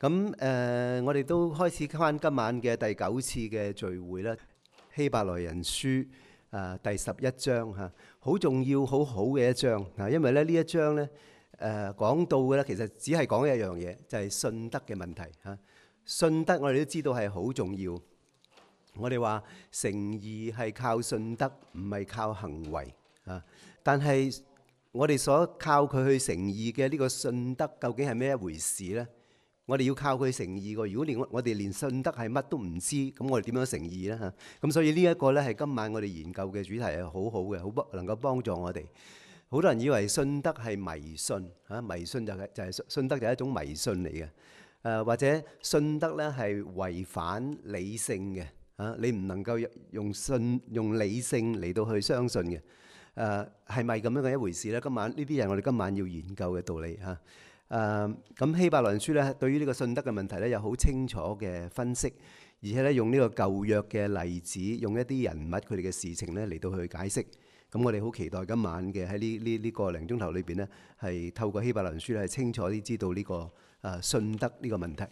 咁我哋都開始翻今晚嘅第9次嘅聚會啦。希伯來人書第11章嚇，好重要、好好嘅一章嚇。因為咧呢一章咧講到嘅咧，其實只係講一樣嘢，就係信德嘅問題嚇。信德我哋都知道係好重要。我哋話成義係靠信德，唔係靠行為啊。但係我哋所靠佢去成義嘅呢個信德，究竟係咩一回事呢？我哋要靠佢成義喎。如果我哋連信德係乜都唔知，咁我哋點樣成義呢？咁所以呢一個呢係今晚我哋研究嘅主題，係好好嘅，好能夠幫助我哋。好多人以為信德係迷信嚇，迷信就係信德就係一種迷信嚟嘅。或者信德呢係違反理性嘅嚇，你唔能夠用理性嚟到去相信嘅。係咪咁樣嘅一回事呢？今晚呢啲係我哋今晚要研究嘅道理嚇。咁希伯來書咧，對於呢個信德嘅問題咧，有好清楚嘅分析，而且咧用呢個舊約嘅例子，用一啲人物佢哋嘅事情咧嚟到去解釋。咁我哋好期待今晚嘅喺呢個零鐘頭裏邊呢，係透過希伯來書咧，係清楚啲知道呢個信德呢個問題。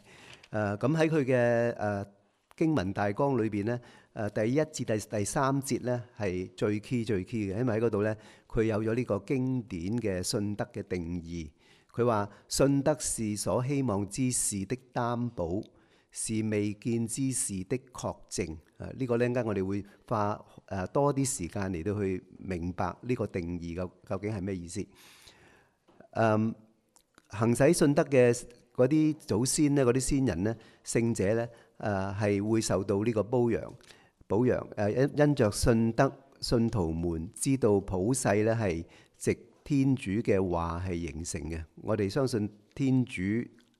咁喺佢嘅經文大綱裏邊呢，第1至第3節呢係最 key 嘅，因為喺嗰度呢，佢有咗呢個經典嘅信德嘅定義。佢話信德是所希望之事的擔保，是未見之事的確證。呢個呢，陣間我哋會花多啲時間嚟到去明白呢個定義究竟係咩意思。行使信德嘅嗰啲祖先呢，嗰啲先人呢，聖者呢，係會受到呢個保養。因着信德，信徒們知道普世呢係藉天主嘅話係形成嘅。我哋相信天主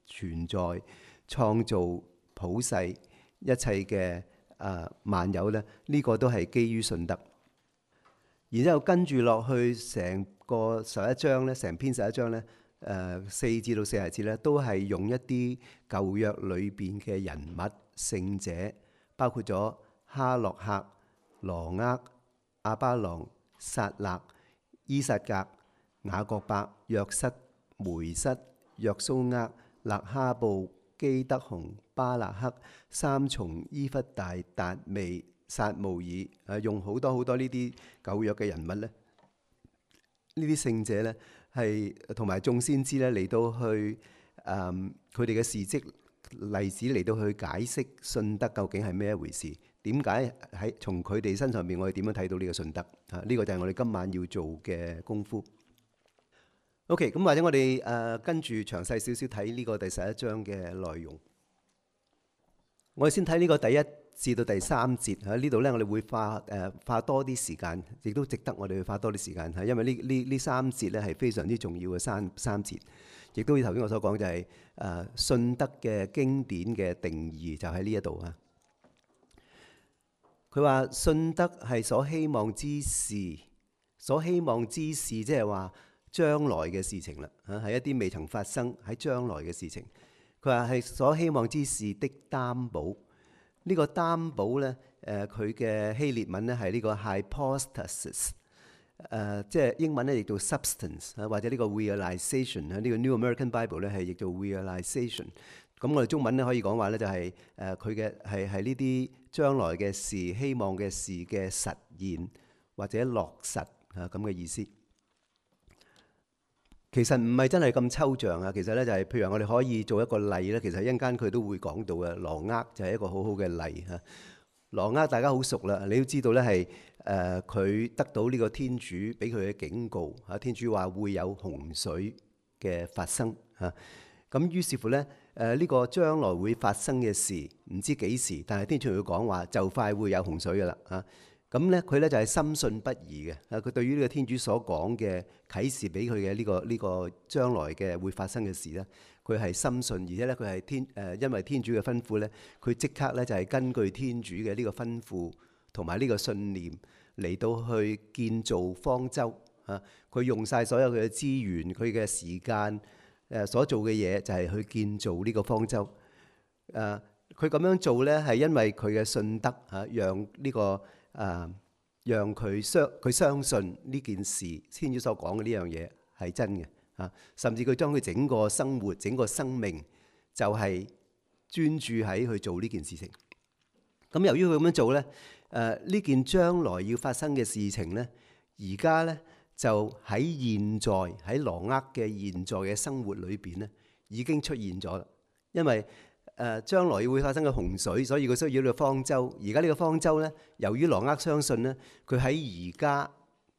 存在，創造普世一切嘅萬有咧，呢個都係基於信德。然之後跟住落去成個11章咧，成篇11章咧，4至到40節咧，都係用一啲舊約裏邊嘅人物聖者，包括咗哈諾客、羅厄、亞巴郎、撒勒、伊撒格、雅各伯、約瑟、梅瑟、約蘇厄、勒哈布、基德紅、巴勒克、三重、伊弗大、達味、撒慕爾，用好多呢啲舊約嘅人物咧，呢啲聖者咧係同埋眾先知咧嚟到去佢哋嘅事蹟例子嚟到去解釋信德究竟係咩一回事？點解喺從佢哋身上邊我哋點樣睇到呢個信德？呢個就係我哋今晚要做嘅功夫。OK， 咁或者我哋跟住詳細少少睇呢個第11章嘅內容。我哋先睇呢個第1至到第3節喺呢度呢，我哋會花多啲時間，亦都值得我哋去花多啲時間嚇，因為呢3節呢係非常之重要嘅三節，亦都頭先我所講就係信德嘅經典嘅定義就喺呢一度啊。佢話信德係所希望之事，即係話將來嘅事情啦，係一啲未曾發生喺將來嘅事情。佢話係所希望之事的擔保。呢個擔保呢，佢嘅希臘文呢係呢個 hypostasis， 即係英文呢譯做 substance， 或者呢個 realization， 呢個 New American Bible 呢係譯做 realization。咁我哋中文呢可以講話呢就係佢嘅係呢啲將來嘅事、希望嘅事嘅實現或者落實咁嘅意思。其實唔係真係咁抽象啊！其實咧就係，譬如我哋可以做一個例咧。其實一陣間佢都會講到嘅。羅厄就係一個好好嘅例嚇。羅厄大家好熟啦，你都知道咧係佢得到呢個天主俾佢嘅警告嚇。天主話會有洪水嘅發生嚇。咁於是乎咧呢個將來會發生嘅事唔知幾時，但係天主佢講話就快會有洪水㗎啦嚇。咁咧佢咧就係深信不疑嘅。佢對於呢個天主所講嘅啟示俾佢嘅呢個將來嘅會發生嘅事咧，佢係深信，而且咧佢係因為天主嘅吩咐咧，佢即刻咧就係根據天主嘅呢個吩咐同埋呢個信念嚟到去建造方舟嚇。佢用晒所有佢嘅資源、佢嘅時間所做嘅嘢，就係去建造呢個方舟。佢咁樣做咧係因為佢嘅信德嚇，讓呢個讓佢相信呢件事，天主所講嘅呢樣嘢係真嘅嚇，甚至佢將佢整個生活、整個生命就係專注喺去做呢件事情。咁由於佢咁樣做咧，呢件將來要發生嘅事情咧，而家咧就喺現在喺挪厄嘅現在嘅生活裏邊咧，已經出現咗啦。因為將來會發生嘅洪水，所以佢需要呢個方舟。而家呢個方舟咧，由於挪厄相信咧，佢喺而家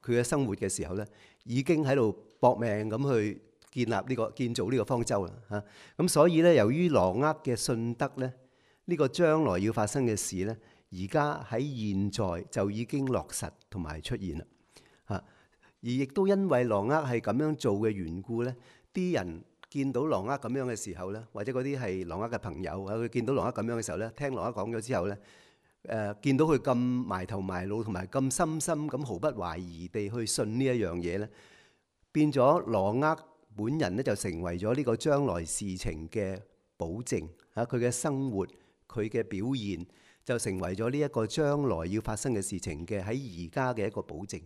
佢嘅生活嘅時候咧，已經喺度搏命咁去建造呢個方舟啦嚇。咁所以咧，由於挪厄嘅信德咧，呢個將來要發生嘅事咧，而家喺現在就已經落實同埋出現啦嚇。而亦都因為挪厄係咁樣做嘅緣故咧，啲人見到挪厄咁樣嘅時候咧，或者嗰啲係挪厄嘅朋友啊，佢見到挪厄咁樣嘅時候咧，聽挪厄講咗之後咧，見到佢咁埋頭埋腦同埋咁深深咁毫不懷疑地去信呢一樣嘢咧，變咗挪厄本人咧就成為咗呢個將來事情嘅保證嚇，佢嘅生活佢嘅表現就成為咗呢一個將來要發生嘅事情嘅喺而家嘅一個保證。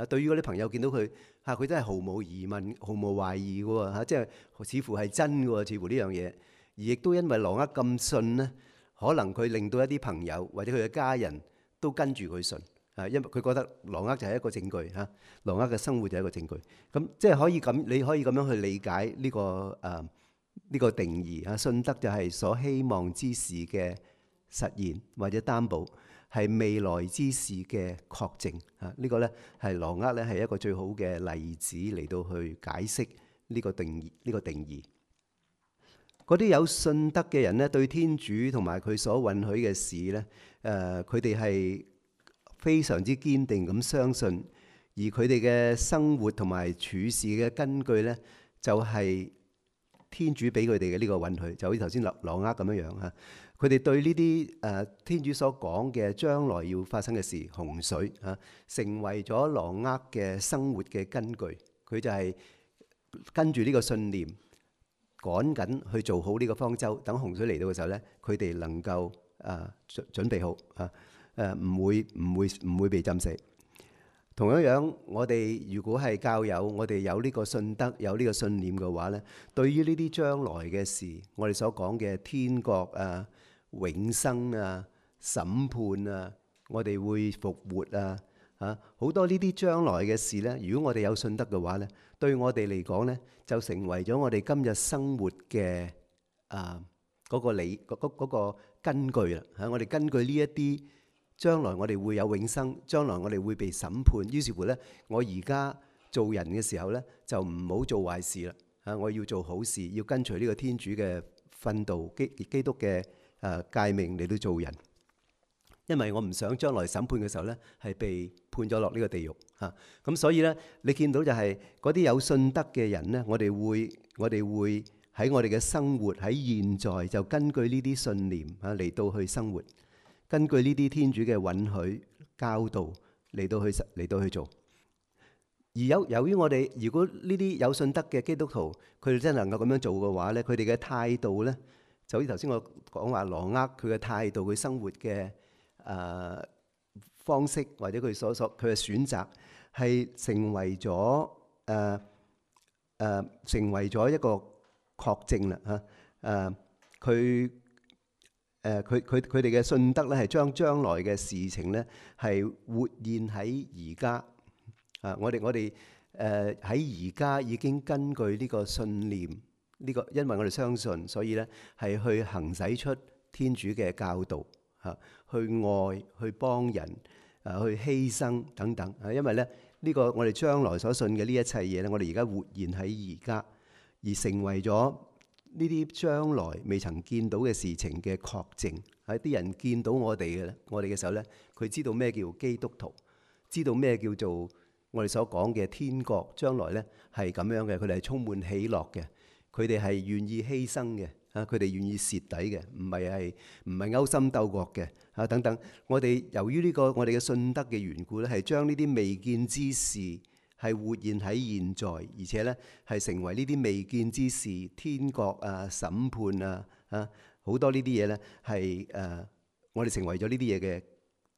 對於嗰啲朋友見到佢嚇，佢真係毫無疑問、毫無懷疑嘅喎嚇，即係似乎係真嘅喎，似乎呢樣嘢。而亦都因為挪厄咁信咧，可能佢令到一啲朋友或者佢嘅家人都跟住佢信啊，因為佢覺得挪厄就係一個證據嚇，挪厄嘅生活就係一個證據。咁即係可以咁，你可以咁樣去理解呢個定義嚇，信德就係所希望之事嘅實現或者擔保。係未來之事嘅確證啊！呢個咧係挪厄咧係一個最好嘅例子嚟到去解釋呢個定義。呢個定義，嗰啲有信德嘅人咧，對天主同埋佢所允許嘅事咧，佢哋係非常之堅定咁相信，而佢哋嘅生活同埋處事嘅根據咧，就係天主俾佢哋嘅呢個允許，就好似頭先挪厄咁樣樣嚇。佢哋對呢啲天主所講嘅將來要發生嘅事，洪水嚇，成為咗挪厄嘅生活嘅根據。佢就係跟住呢個信念，趕緊去做好呢個方舟。等洪水嚟到嘅時候咧，佢哋能夠準備好嚇，唔會被浸死。同樣樣，我哋如果係教友，我哋有呢個信德，有呢個信念嘅話咧，對於呢啲將來嘅事，我哋所講嘅天國啊、永生啊、審判啊，我哋會復活啊，好多呢啲將來嘅事咧，如果我哋有信德嘅話咧，對我哋嚟講咧，就成為咗我哋今日生活嘅嗰個根據啦嚇。我哋根據呢一啲將來我哋會有永生，將來我哋會被審判。於是乎咧，我而家做人嘅時候咧，就唔好做壞事啦嚇。我要做好事，要跟隨呢個天主嘅訓導，基督嘅誡命嚟到做人。因為我唔想將來審判嘅時候咧，係被判咗落呢個地獄嚇。咁所以咧，你見到就係嗰啲有信德嘅人咧，我哋會喺我哋嘅生活喺現在就根據呢啲信念嚟到去生活。根據呢啲天主嘅允許教導嚟到去做，而由於我哋如果呢啲有信德嘅基督徒，佢哋真係能夠咁樣做嘅話咧，佢哋嘅態度咧，就好似頭先我講話挪厄佢嘅態度，佢生活嘅方式或者佢佢嘅選擇，係成為咗一個確證啦嚇。佢哋嘅信德咧，係將來嘅事情咧，係活現喺而家啊！我哋喺而家已經根據呢個信念，因為我哋相信，所以咧係去行使出天主嘅教導嚇，去愛、去幫人去犧牲等等啊！因為咧呢個我哋將來所信嘅呢一切嘢咧，我哋而家活現喺而家，而成為咗呢啲將來未曾見到嘅事情嘅確證，喺啲人見到我哋嘅時候咧，佢知道咩叫基督徒，知道咩叫做我哋所講嘅天國，將來咧係咁樣嘅，佢哋係充滿喜樂嘅，佢哋係願意犧牲嘅，佢哋願意蝕底嘅，唔係勾心鬥角嘅等等。我哋由於呢個我哋嘅信德嘅緣故咧，係將呢啲未見之事係活現喺現在，而且咧係成為呢啲未見之事，天國啊、審判啊，好多呢啲嘢咧係我哋成為咗呢啲嘢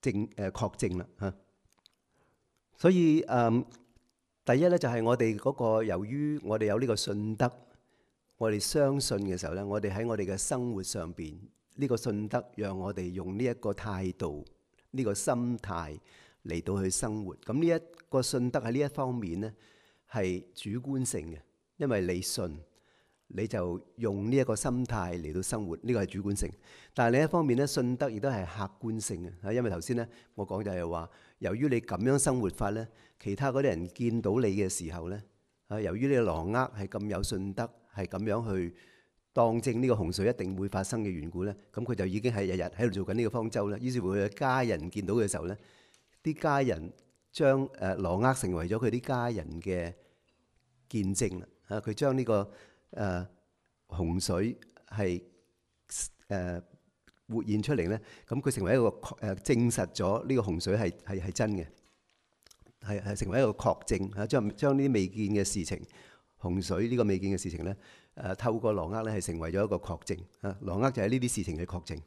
嘅確證啦嚇。所以第一咧就係我哋嗰個，由於我哋有呢個信德，我哋相信嘅時候咧，我哋喺我哋嘅生活上邊呢個信德，讓我哋用呢一個態度、呢個心態嚟到去生活。咁呢一個信德喺呢一方面咧係主觀性嘅，因為你信，你就用呢一個心態嚟到生活，呢個係主觀性。但係另一方面咧，信德亦都係客觀性嘅，因為頭先咧我講就係話，由於你咁樣生活法咧，其他嗰啲人見到你嘅時候咧，由於你嘅狼軛係咁有信德，係咁樣去當正呢個洪水一定會發生嘅緣故咧，咁佢就已經係日日喺度做緊呢個方舟啦。於是乎佢嘅家人見到嘅時候咧，啲家人將狼軛成為咗佢啲家人嘅見證啦。佢將呢個洪水係活現出嚟咧，咁佢成為一個證實咗呢個洪水係真嘅，係成為一個確證嚇，將呢啲未見嘅事情，洪水呢個未見嘅事情咧，透過狼軛咧係成為咗一個確證嚇。狼軛就係呢啲事情嘅確證。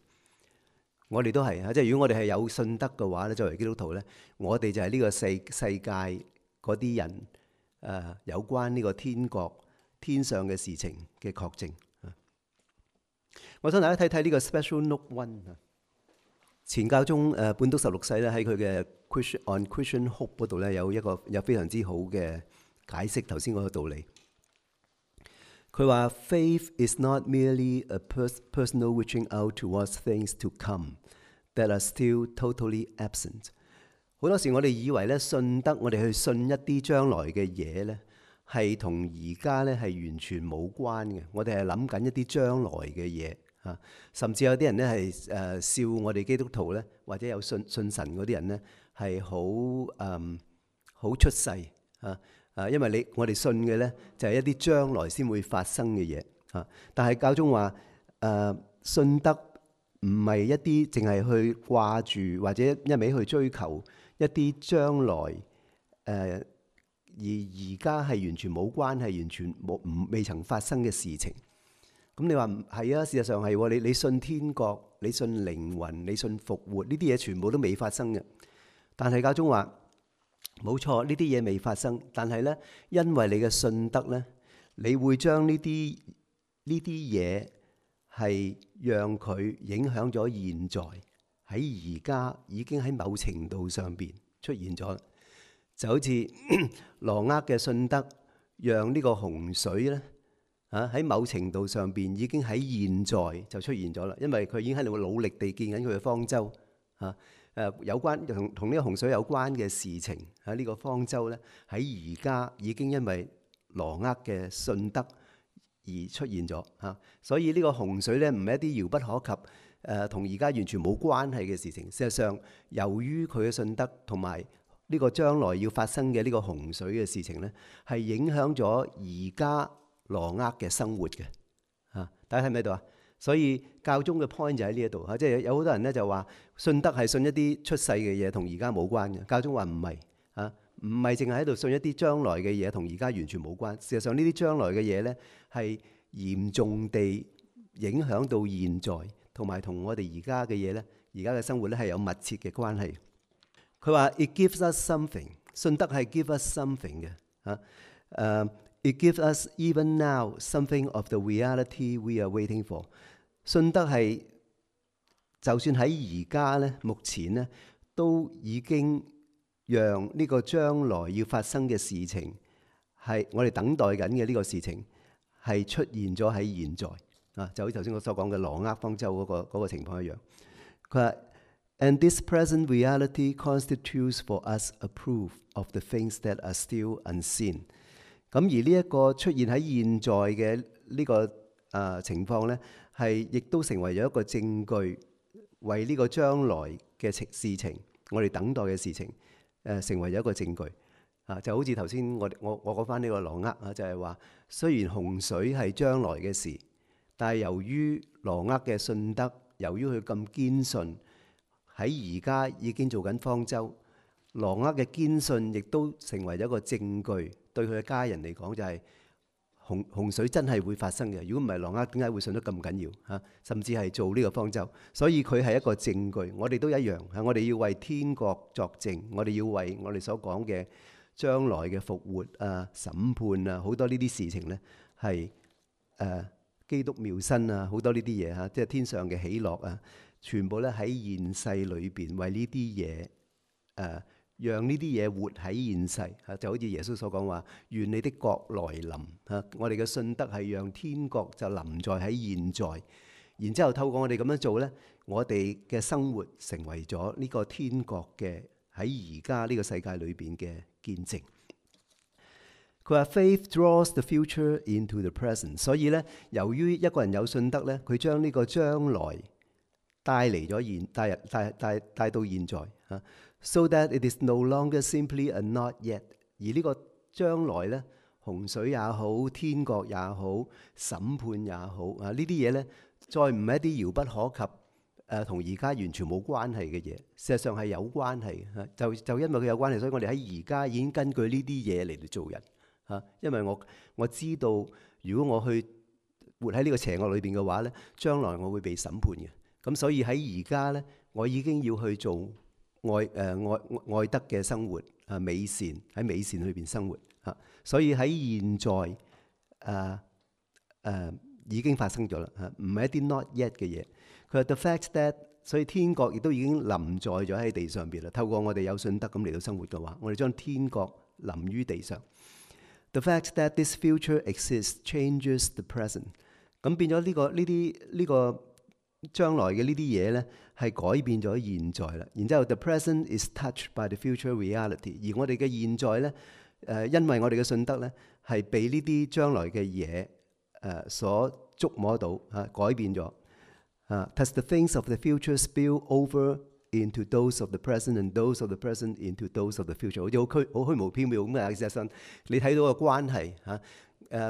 我哋都係嚇，即係如果我哋係有信德嘅話咧，作為基督徒咧，我哋就係呢個世界嗰啲人有關呢個天國天上嘅事情嘅確證。我想大家睇睇呢個 Special Note One。前教宗本篤十六世咧喺佢嘅 On Christian Hope 嗰度咧有非常之好嘅解釋頭先嗰個道理。佢話 Faith is not merely a personal reaching out towards things to come that are still totally absent。好多時我哋以為咧信德，我哋去信一啲將來嘅嘢咧，係同而家咧係完全冇關嘅。我哋係諗緊一啲將來嘅嘢啊，甚至有啲人咧係笑我哋基督徒咧，或者有信神嗰啲人咧係好出世因為我哋信嘅咧就係一啲將來先會發生嘅嘢啊。但係教宗話信德唔係一啲淨係去掛住或者一味去追求一啲將來而家係完全冇關係、完全未曾發生嘅事情。咁你話係啊？事實上係喎，你信天國、你信靈魂、你信復活，呢啲嘢全部都未發生嘅。但係教宗話冇錯，呢啲嘢未發生，但係咧，因為你嘅信德咧，你會將呢啲嘢係讓佢影響咗現在，喺而家已經喺某程度上邊出現咗。就好似狼軛嘅信德，讓呢個洪水咧喺某程度上邊已經喺現在就出現咗啦，因為佢已經喺度努力地建緊佢嘅方舟有關同呢個洪水有關嘅事情呢個方舟咧喺而家已經因為狼軛嘅信德而出現咗所以呢個洪水咧唔係一啲遙不可及同而家完全冇關係嘅事情。事實上，由於佢嘅信德同埋呢個將來要發生嘅呢個洪水嘅事情咧，係影響咗而家狼軛嘅生活嘅大家睇唔睇到啊？所以教宗嘅 point 就喺呢一度即係有好多人咧就話信德係信一啲出世嘅嘢，同而家冇關嘅。教宗話唔係唔係淨係喺度信一啲將來嘅嘢，同而家完全冇關。事實上呢啲將來嘅嘢咧係嚴重地影響到現在，同埋同我哋而家嘅嘢咧，而家嘅生活咧係有密切嘅關係。佢話 It gives us something， 信德係 give us something 嘅It gives us even now something of the reality we are waiting for。 信德係就算喺而家咧，目前咧都已經讓呢個將來要發生嘅事情係我哋等待緊嘅呢個事情係出現咗喺現在就好似頭先我所講嘅狼軛方舟嗰個情況一樣。佢話And this present reality constitutes for us a proof of the things that are still unseen。咁而呢一個出現喺現在嘅呢個情況咧，係亦都成為咗一個證據，為呢個將來嘅事情，我哋等待嘅事情，成為咗一個證據就好似頭先我講翻呢個狼軛就係話，雖然洪水係將來嘅事，但係由於狼軛嘅信德，由於佢咁堅信，喺而家已經做緊方舟，狼軛嘅堅信亦都成為咗一個證據。對佢嘅家人嚟講，就係洪水真係會發生嘅。如果唔係，狼軛點解會信得咁緊要甚至係做呢個方舟，所以佢係一個證據。我哋都一樣我哋要為天國作證，我哋要為我哋所講嘅將來嘅復活審判好多呢啲事情呢，係基督妙身啊，好多呢啲嘢嚇，即係天上嘅喜樂啊，全部咧喺現世裏邊為呢啲嘢讓呢啲嘢活喺現世嚇，就好似耶穌所講話，願你的國來臨嚇。我哋嘅信德係讓天國就臨在喺現在，然之後透過我哋咁樣做咧，我哋嘅生活成為咗呢個天國嘅喺而家呢個世界裏邊嘅見證。佢話 Faith draws the future into the present， 所以咧，由於一個人有信德咧，佢將呢個將來帶嚟咗帶到現在嚇。So that it is no longer simply a not yet， 而呢個將來咧，洪水也好，天國也好，審判也好啊，呢啲嘢咧，再唔係一啲遙不可及同而家完全冇關係嘅嘢，事實上係有關係嘅。就因為佢有關係，所以我哋喺而家已經根據呢啲嘢嚟到做人嚇。因為我知道，如果我去活喺呢個邪惡裏邊嘅話咧，將來我會被審判嘅。咁所以喺而家咧，我已經要去做愛德嘅生活啊，美善喺美善裏邊生活嚇。所以喺現在已經發生咗啦嚇，唔係一啲 not yet 嘅嘢。佢話 the fact that， 所以天國亦都已經臨在咗喺地上邊啦。透過我哋有信德咁嚟到生活嘅話，我哋將天國臨於地上。The fact that this future exists changes the present。咁變咗呢個將來嘅呢啲嘢咧，係改變咗現在啦。然之後 the present is touched by the future reality。而我哋嘅現在咧，因為我哋嘅信德咧，係被呢啲將來嘅嘢所觸摸到改變咗。Thus the things of the future spill over into those of the present and those of the present into those of the future。好似好虛無縹緲咁嘅，事實上你睇到個關係嚇。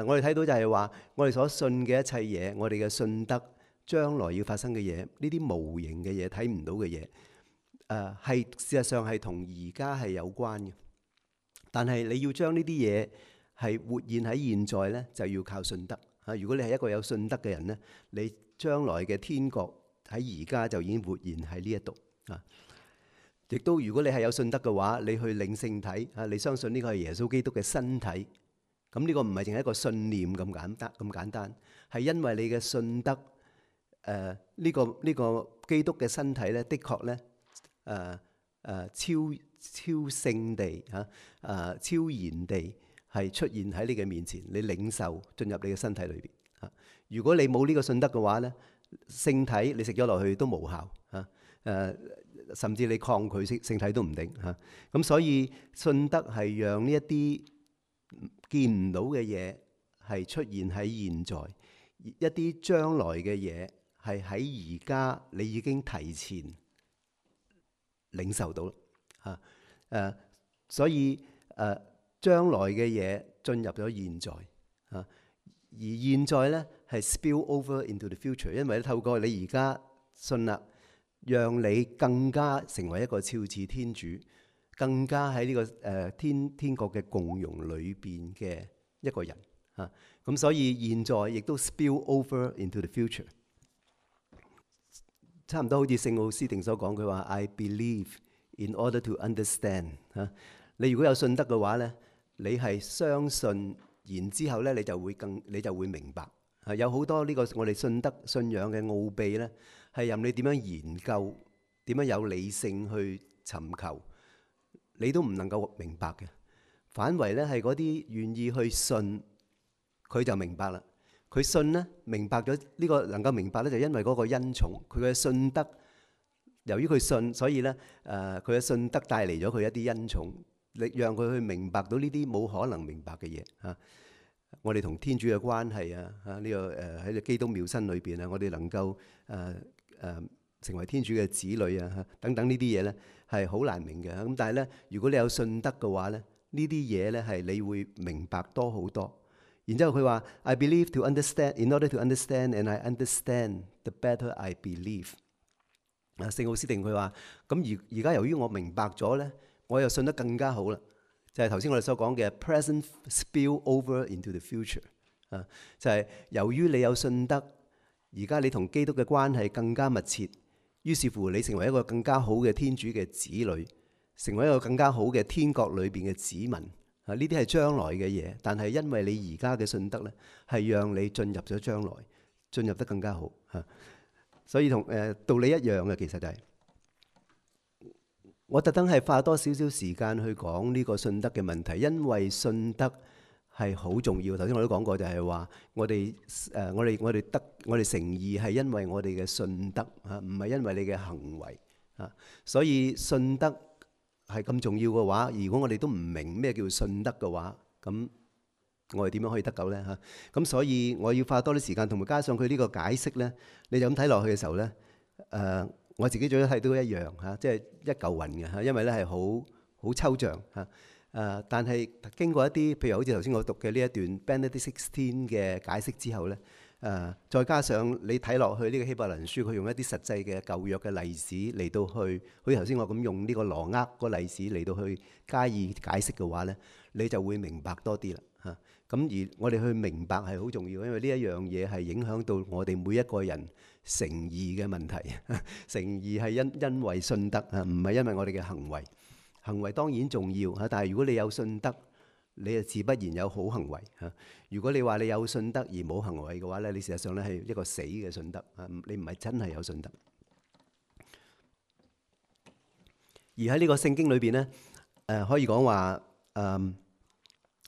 我哋睇到就係話，我哋所信嘅一切嘢，我哋嘅信德將來要發生嘅嘢，呢啲無形嘅嘢，睇唔到嘅嘢，係事實上係同而家係有關嘅。但係你要將呢啲嘢係活現喺現在咧，就要靠信德嚇。如果你係一個有信德嘅人咧，你將來嘅天國喺而家就已經活現喺呢一度啊！亦都如果你係有信德嘅話，你去領聖體啊，你相信呢個係耶穌基督嘅身體，咁呢個唔係淨係一個信念咁簡單，係因為你嘅信德呢個基督嘅身體咧，的確咧超聖地超然地係出現喺你嘅面前，你領受進入你嘅身體裏邊啊！如果你冇呢個信德嘅話咧，聖體你食咗落去都無效啊！甚至你抗拒聖體都唔定嚇。咁所以信德係讓呢一啲見唔到嘅嘢係出現喺現在，一啲將來嘅嘢係喺而家你已經提前領受到啦。所以將來嘅嘢進入咗現在啊，而現在咧係 spill over into the future， 因為透過你而家信啦，讓你更加成為一個肖似天主，更加喺呢個天國嘅共融裏邊嘅一個人啊。咁所以現在亦都 spill over into the future， 差唔多好似聖奧斯定所講，佢話 I believe in order to understand 啊。你如果有信德嘅話咧，你係相信，然之後咧你就會明白。有好多呢個我哋信德信仰嘅奧秘咧，係任你點樣研究，點樣有理性去尋求，你都唔能夠明白嘅。反為咧係嗰啲願意去信，佢就明白啦。佢信咧，明白咗呢個能夠明白咧，就因為嗰個恩寵，佢嘅信德。由於佢信，所以咧佢嘅信德帶嚟咗佢一啲恩寵，力讓佢去明白到呢啲冇可能明白嘅嘢嚇。我哋同天主嘅關係啊，呢個喺基督妙身裏邊啊，我哋能夠成為天主嘅子女啊，等等呢啲嘢咧係好難明嘅。咁但係咧，如果你有信德嘅話咧，呢啲嘢咧係你會明白多好多。然之後佢話 I believe to understand, in order to understand, and I understand the better I believe。聖奧斯定佢話：咁而家由於我明白咗咧，我又信得更加好啦。就係頭先我哋所講嘅 present spill over into the future 啊，就係由於你有信德，而家你同基督嘅關係更加密切，於是乎你成為一個更加好嘅天主嘅子女，成為一個更加好嘅天國裏邊嘅子民呢啲係將來嘅嘢，但係因為你而家嘅信德咧，係讓你進入咗將來，進入得更加好嚇。所以同道理一樣嘅，其實就係我特登係花多少少時間去講呢個信德嘅問題，因為信德係好重要。頭先我都講過，就係話我哋成義係因為我哋嘅信德嚇，唔係因為你嘅行為嚇。所以信德係咁重要嘅話，如果我哋都唔明咩叫信德嘅話，咁我哋點樣可以得救呢？嚇，咁所以我要花多啲時間，同埋加上佢呢個解釋呢，你就咁睇落去嘅時候呢，我自己最多睇到一樣嚇，即係一嚿雲嘅嚇，因為呢係好抽象嚇。但係經過一啲，譬如好似頭先我讀嘅呢一段 Benedict XVI 嘅解釋之後呢，再加上你睇落去呢個希伯來人書，佢用一啲實際嘅舊約嘅例子嚟到去，好似頭先我咁用呢個羅厄個例子嚟到去加以解釋嘅話呢，你就會明白多啲啦嚇。咁而我哋去明白係好重要，因為呢一樣嘢係影響到我哋每一個人成義嘅問題。成義係因為信德啊，唔係因為我哋嘅行為。行為當然重要嚇，但係如果你有信德，你就自不然有好行為嚇。如果你話你有信德而冇行為嘅話咧，你事實上咧係一個死嘅信德啊，你唔係真係有信德。而喺呢個聖經裏邊咧，可以講話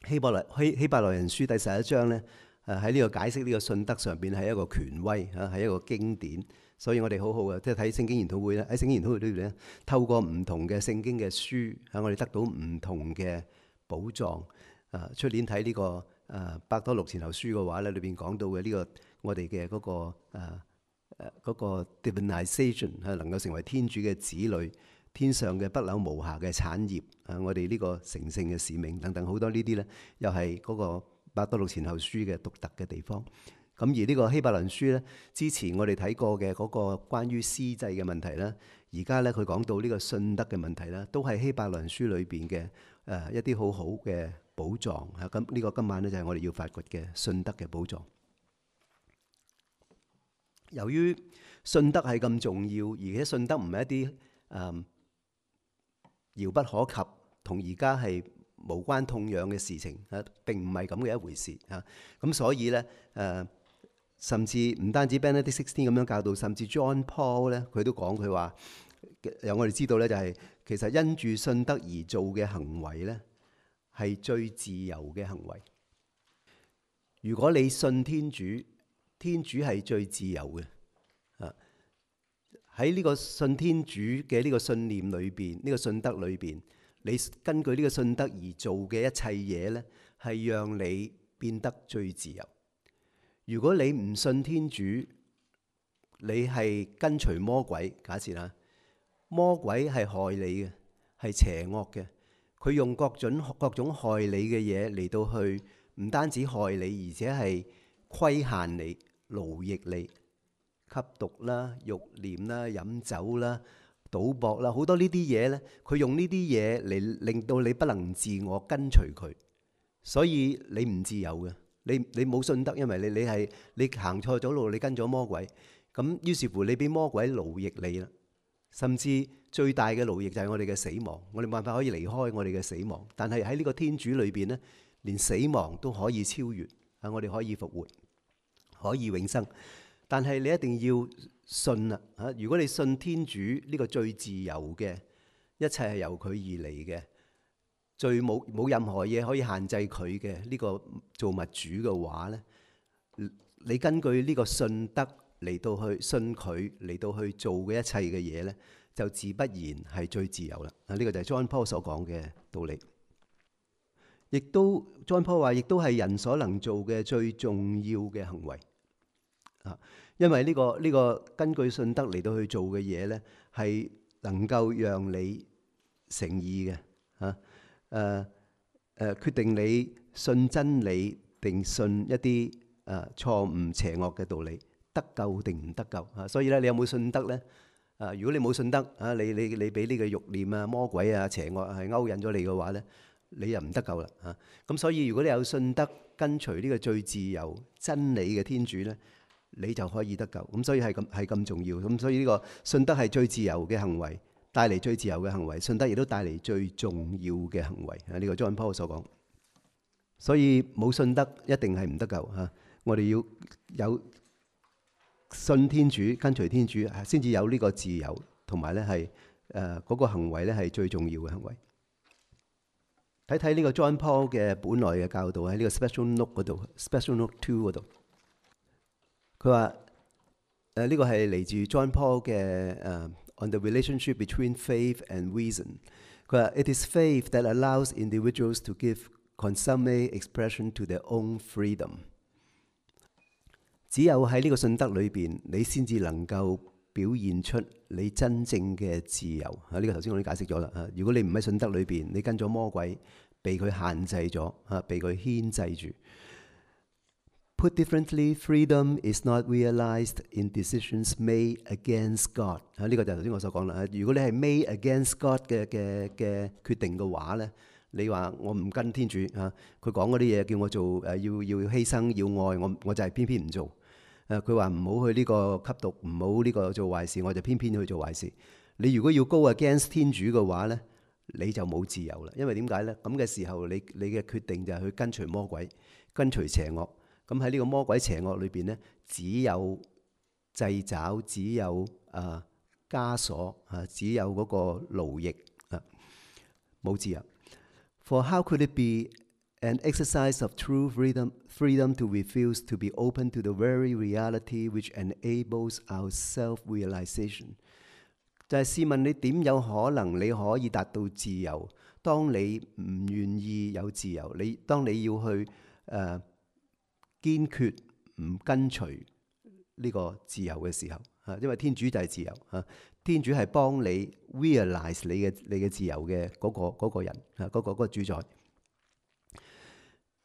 希伯來人書第11章咧，喺呢個解釋呢個信德上邊係一個權威嚇，係一個經典。所以我哋好好嘅，即係睇聖經研討會咧，喺聖經研討會裏邊咧，透過唔同嘅聖經嘅書，我哋得到唔同嘅寶藏。出年睇呢個伯多祿前後書嘅話咧，裏邊講到嘅呢個我哋嘅嗰個 divinization 係能夠成為天主嘅子女，天上嘅不朽無瑕嘅產業。我哋呢個成聖嘅使命等等好多呢啲咧，又係嗰個伯多祿前後書嘅獨特嘅地方。咁而呢個希伯來書咧，之前我哋睇過嘅嗰個關於司祭嘅問題咧，而家咧佢講到呢個信德嘅問題咧，都係希伯來書裏邊嘅一啲好好嘅寶藏嚇。咁呢個今晚咧就係我哋要發掘嘅信德嘅寶藏。由於信德係咁重要，而且信德唔係一啲遙不可及，同而家係無關痛癢嘅事情嚇，並唔係咁嘅一回事嚇。咁所以咧甚至唔單止 Benedict XVI 咁樣教導，甚至 John Paul 咧，佢都講佢話，由我哋知道咧，就係其實因住信德而做嘅行為咧，係最自由嘅行為。如果你信天主，天主係最自由嘅。喺呢個信天主嘅呢個信念裏邊，呢個信德裏邊，你根據呢個信德而做嘅一切嘢咧，係讓你變得最自由。如果你唔信天主，你係跟隨魔鬼。假設啦，魔鬼係害你嘅，係邪惡嘅。佢用各種害你嘅嘢嚟到去，唔單止害你，而且係規限你、奴役你、吸毒啦、慾念啦、飲酒啦、賭博啦，好多呢啲嘢咧。佢用呢啲嘢嚟令到你不能自我跟隨佢，所以你唔自由嘅。你冇信德，因為你行錯咗路，你跟咗魔鬼，咁於是乎你俾魔鬼奴役你啦。甚至最大嘅奴役就係我哋嘅死亡，我哋冇辦法可以離開我哋嘅死亡。但係喺呢個天主裏邊咧，連死亡都可以超越，我哋可以復活，可以永生。但係你一定要信啦嚇！如果你信天主呢個最自由嘅，一切係由佢而嚟嘅。最冇任何嘢可以限制佢嘅呢個造物主嘅話咧，你根據呢個信德嚟到去信佢嚟到去做嘅一切嘅嘢咧，就自不然係最自由啦。呢個就係 John Paul 所講嘅道理。亦都 John Paul 話，亦都係人所能做嘅最重要嘅行為啊！因為呢個根據信德嚟到去做嘅嘢咧，係能夠讓你成義嘅嚇。決定你信真理定信一啲錯誤邪惡嘅道理，得救定唔得救啊？所以咧，你有冇信德咧？如果你冇信德啊，你俾呢個慾念啊、魔鬼啊、邪惡係勾引咗你嘅話咧，你又唔得救啦嚇。咁所以如果你有信德，跟隨呢個最自由真理嘅天主咧，你就可以得救。咁所以係咁重要。咁所以呢個信德係最自由嘅行為，帶嚟最自由嘅行為，信德亦都帶嚟最重要嘅行為。呢個 John Paul 所講。所以冇信德一定係唔得救嚇。我哋要有信天主、跟隨天主，先至有呢個自由，同埋咧係嗰個行為咧係最重要嘅行為。睇睇呢個 John Paul 嘅本來嘅教導喺呢個 Special Note 嗰度 ，Special Note 2嗰度，佢話呢個係嚟自 John Paul 嘅On the relationship between faith and reason。佢話 It is faith that allows individuals to give consummate expression to their own freedom。只有喺呢個信德裏邊，你先至能夠表現出你真正嘅自由。呢個頭先我已經解釋咗啦。如果你唔喺信德裏邊，你跟咗魔鬼，被佢限制咗，被佢牽制住。Put differently, freedom is not realized in decisions made against God。呢個就係頭先我所講啦。如果你係 made against God 嘅決定嘅話咧，你話我唔跟天主佢講嗰啲嘢，叫我做要犧牲要愛，我就係偏偏唔做。佢話唔好去呢個吸毒，唔好呢個做壞事，我就偏偏去做壞事。你如果要 go against 天主嘅話咧，你就冇自由啦。因為點解咧？咁嘅時候，你嘅決定就係去跟隨魔鬼，跟隨邪惡。咁喺呢個魔鬼邪惡裏邊咧，只有掣肘，只有枷鎖只有嗰個奴役冇自由。For how could it be an exercise of true freedom to refuse to be open to the very reality which enables our self-realization？ 就係試問你點有可能你可以達到自由？當你唔願意有自由，當你要去堅決唔跟隨呢個自由嘅時候，因為天主就係自由，天主係幫你 realize 你嘅自由嘅嗰個人，嗰個主宰。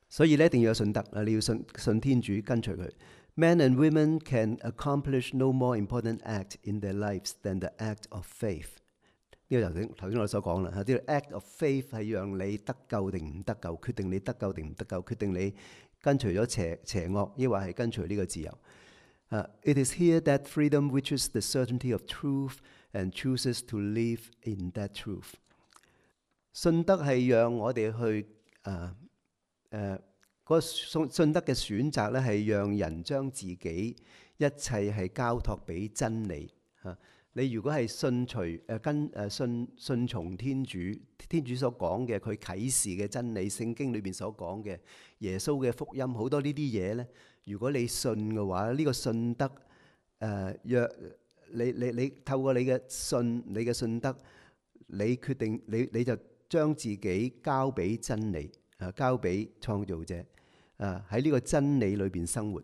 所以咧一定要有信德，你要信天主，跟隨佢。Men and women can accomplish no more important act in their lives than the act of faith。呢個頭先我所講啦，呢個 act of faith 係讓你得救定唔得救，決定你得救定唔得救，決定你跟隨咗邪惡，抑或係跟隨呢個自由。It is here that freedom reaches the certainty of truth and chooses to live in that truth。信德係讓我哋去嗰信德嘅選擇咧，係讓人將自己一切係交託俾真理。你如果係信從天主所講嘅佢啟示嘅真理，聖經裏邊所講嘅耶穌嘅福音，好多呢啲嘢咧，如果你信嘅話，呢個信德若你透過你嘅信德，你決定你就將自己交俾真理，交俾創造者，喺呢個真理裏邊生活，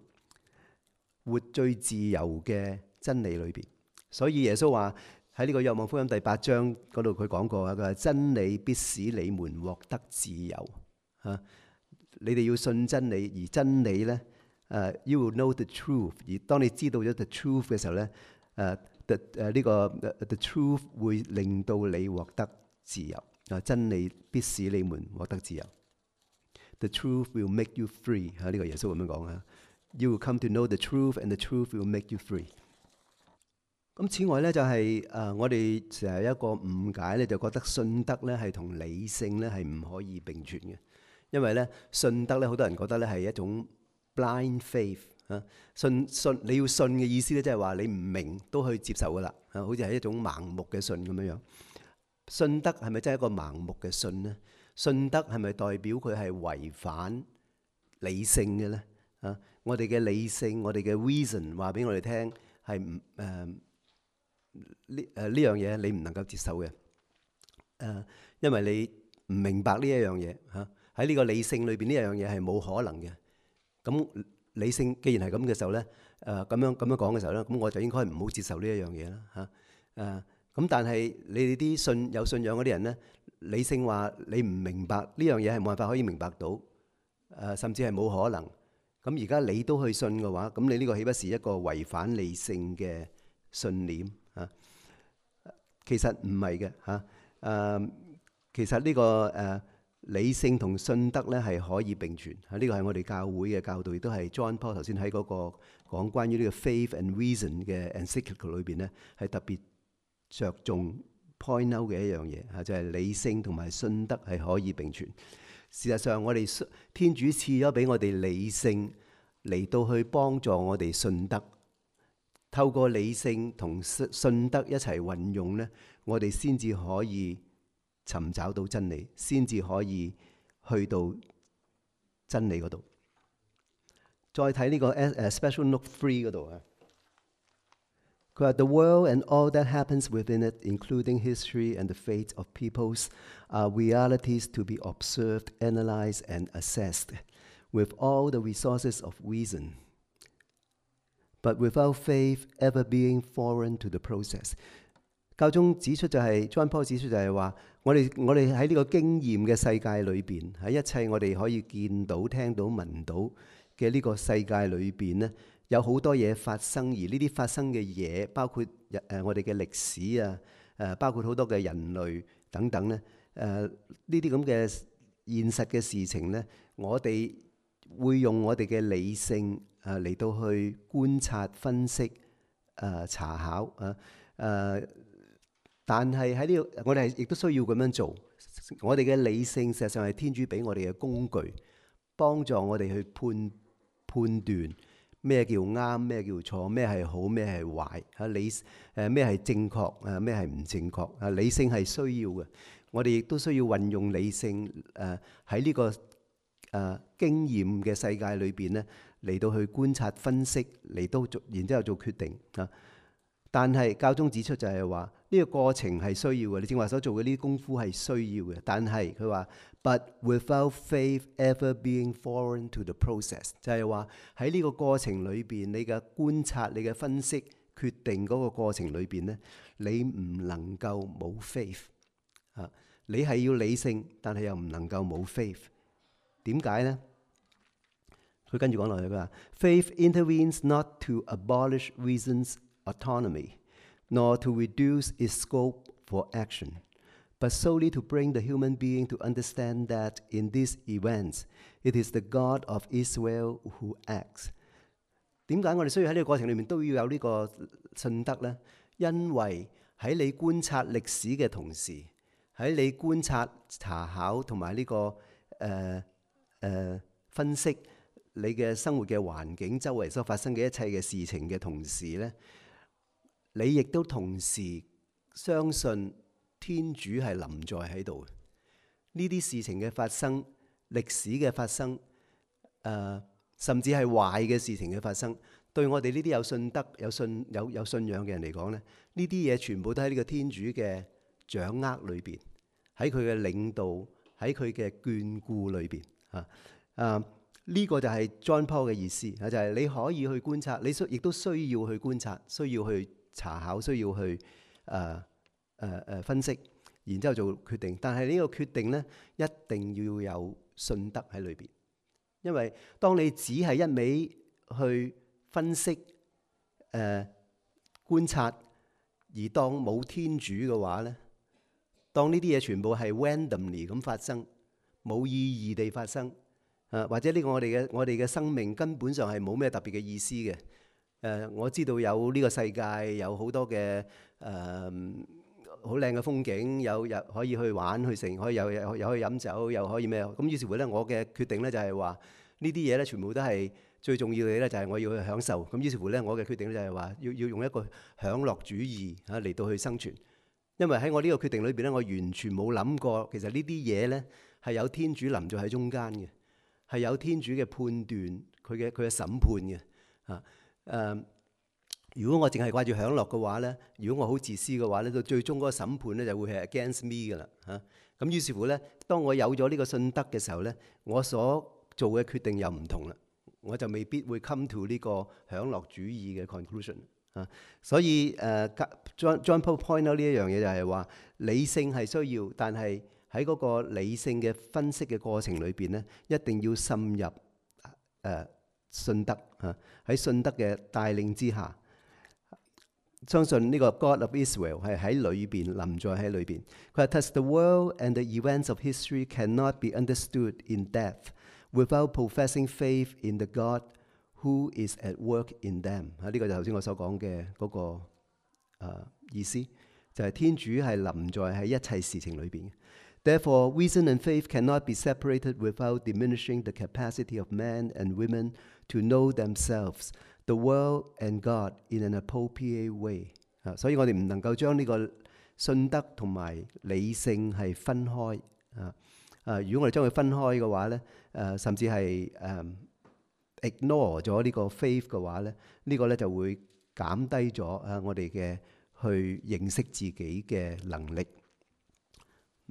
活最自由嘅真理裏邊。所以耶穌話喺呢個若望福音第8章嗰度，佢講過佢話真理必使你們獲得自由。你哋要信真理，而真理咧，you will know the truth。而當你知道咗 the truth 嘅時候咧，the truth 會令到你獲得自由。真理必使你們獲得自由。The truth will make you free。呢個耶穌咁樣講You will come to know the truth, and the truth will make you free。咁此外咧，就係我哋成日一個誤解咧，就覺得信德咧係同理性咧係唔可以並存嘅。因為咧信德咧，好多人覺得咧係一種 blind faith 信你要信嘅意思咧，即係話你唔明都去接受噶啦，好似係一種盲目嘅信咁樣樣。信德係咪真係一個盲目嘅信呢？信德係咪代表佢係違反理性嘅咧？我哋嘅理性，我哋嘅 reason 話俾我哋聽係呢樣嘢你唔能夠接受嘅，因為你唔明白呢一樣嘢喺呢個理性裏邊呢樣嘢係冇可能嘅。咁理性既然係咁嘅時候咧，咁樣講嘅時候咧，咁我就應該唔好接受呢一樣嘢啦咁但係你哋啲有信仰嗰啲人咧，理性話你唔明白呢樣嘢係冇辦法可以明白到，甚至係冇可能。咁而家你都去信嘅話，咁你呢個豈不是一個違反理性嘅信念其實唔係嘅其實呢個理性同信德咧係可以並存呢個係我哋教會嘅教導，亦都係 John Paul 頭先喺嗰個講關於呢個 faith and reason 嘅 encyclical 裏邊咧係特別着重 point out 嘅一樣嘢就係理性同埋信德係可以並存。事實上，我哋天主賜咗俾我哋理性嚟到去幫助我哋信德。透過理性同信德一齊運用呢，我哋先至可以尋找到真理，先至可以去到真理嗰度。再睇呢個Special Note 3嗰度啊，佢話 The world and all that happens within it, including history and the fate of peoples, are realities to be observed, analysed and assessed with all the resources of reason, but without faith ever being foreign to the process。 教宗指出就係John Paul 指出就係話，我哋喺呢個經驗嘅世界裏邊，喺一切我哋可以見到、聽到、聞到嘅呢個世界裏邊呢，有好多嘢發生，而呢啲發生嘅嘢，包括我哋嘅歷史啊，包括好多嘅人類等等咧，呢啲咁嘅現實嘅事情呢，我哋會用我哋嘅理性嚟到去觀察、分析、查考但係喺呢個，我哋亦都需要咁樣做。我哋嘅理性實際上係天主俾我哋嘅工具，幫助我哋去判斷咩叫啱，咩叫錯，咩係好，咩係壞，咩係正確，咩係唔正確。理性係需要嘅，我哋亦都需要運用理性喺呢個經驗嘅世界裏邊咧，嚟到去觀察、分析，然之後做決定啊。但係教宗指出就係話呢個過程係需要嘅，你正話所做嘅呢啲功夫係需要嘅。但係佢話 ，but without faith ever being foreign to the process， 就係話喺呢個過程裏邊，你嘅觀察、你嘅分析、決定嗰個過程裏邊咧，你唔能夠冇 faith 啊！你係要理性，但係又唔能夠冇 faith。點解呢？佢跟住講落去，佢話 ：Faith intervenes not to abolish reason's autonomy, nor to reduce its scope for action, but solely to bring the human being to understand that in these events, it is the God of Israel who acts。 點解我哋需要喺呢個過程裏面都要有呢個信德呢？因為喺你觀察歷史嘅同時，喺你觀察、查考同埋呢個分析你嘅生活嘅環境、周圍所發生嘅一切嘅事情嘅同時呢，你亦都同時相信天主係臨在喺度。呢啲事情嘅發生、歷史嘅發生，甚至係壞嘅事情嘅發生，對我哋呢啲有信德、有信仰嘅人嚟講咧，呢啲嘢全部都喺呢個天主嘅掌握裏邊，喺佢嘅領導，喺佢嘅眷顧裏邊呢個就係 John Paul 嘅意思，就係你可以去觀察，你亦都需要去觀察，需要去查考，需要去分析，然之後做決定。但係呢個決定呢，一定要有信德喺裏邊，因為當你只係一味去分析、觀察，而當冇天主嘅話呢，當呢啲嘢全部係 randomly 咁發生，冇意義地發生，或者呢個我哋嘅生命根本上係冇咩特別嘅意思嘅。我知道有呢個世界有好多嘅好靚嘅風景，有可以去玩去成，可以又可以飲酒，又可以咩？咁於是乎咧，我嘅決定咧就係話呢啲嘢咧，全部都係最重要嘅咧，就係我要去享受。咁於是乎咧，我嘅決定咧就係話要用一個享樂主義嚟到去生存。因為喺我呢個決定裏邊咧，我完全冇諗過，其實呢啲嘢咧係有天主臨在喺中間嘅，係有天主嘅判斷，佢嘅審判嘅如果我淨係掛住享樂嘅話咧，如果我好自私嘅話咧，到最終嗰個審判咧就會係 against me 噶啦咁於是乎咧，當我有咗呢個信德嘅時候咧，我所做嘅決定又唔同啦，我就未必會 come to 呢個享樂主義嘅 conclusion 所以John Paul point out 呢一樣嘢就係話理性係需要，但係喺嗰個理性嘅分析嘅過程裏邊咧，一定要滲入信德喺信德嘅帶領之下，相信呢個 God of Israel 係喺裏邊臨在喺裏邊。佢話 Thus the world and the events of history cannot be understood in depth without professing faith in the God who is at work in them。呢個就頭先我所講嘅嗰個意思，就係天主係臨在喺一切事情裏邊。Therefore, reason and faith cannot be separated without diminishing the capacity of men and women to know themselves, the world and God in an appropriate way。所以我哋唔能夠將呢個信德同埋理性係分開。如果我哋將佢分開嘅話咧，甚至係ignore 咗呢個 faith 嘅話咧，呢個咧就會減低咗我哋嘅去認識自己嘅能力，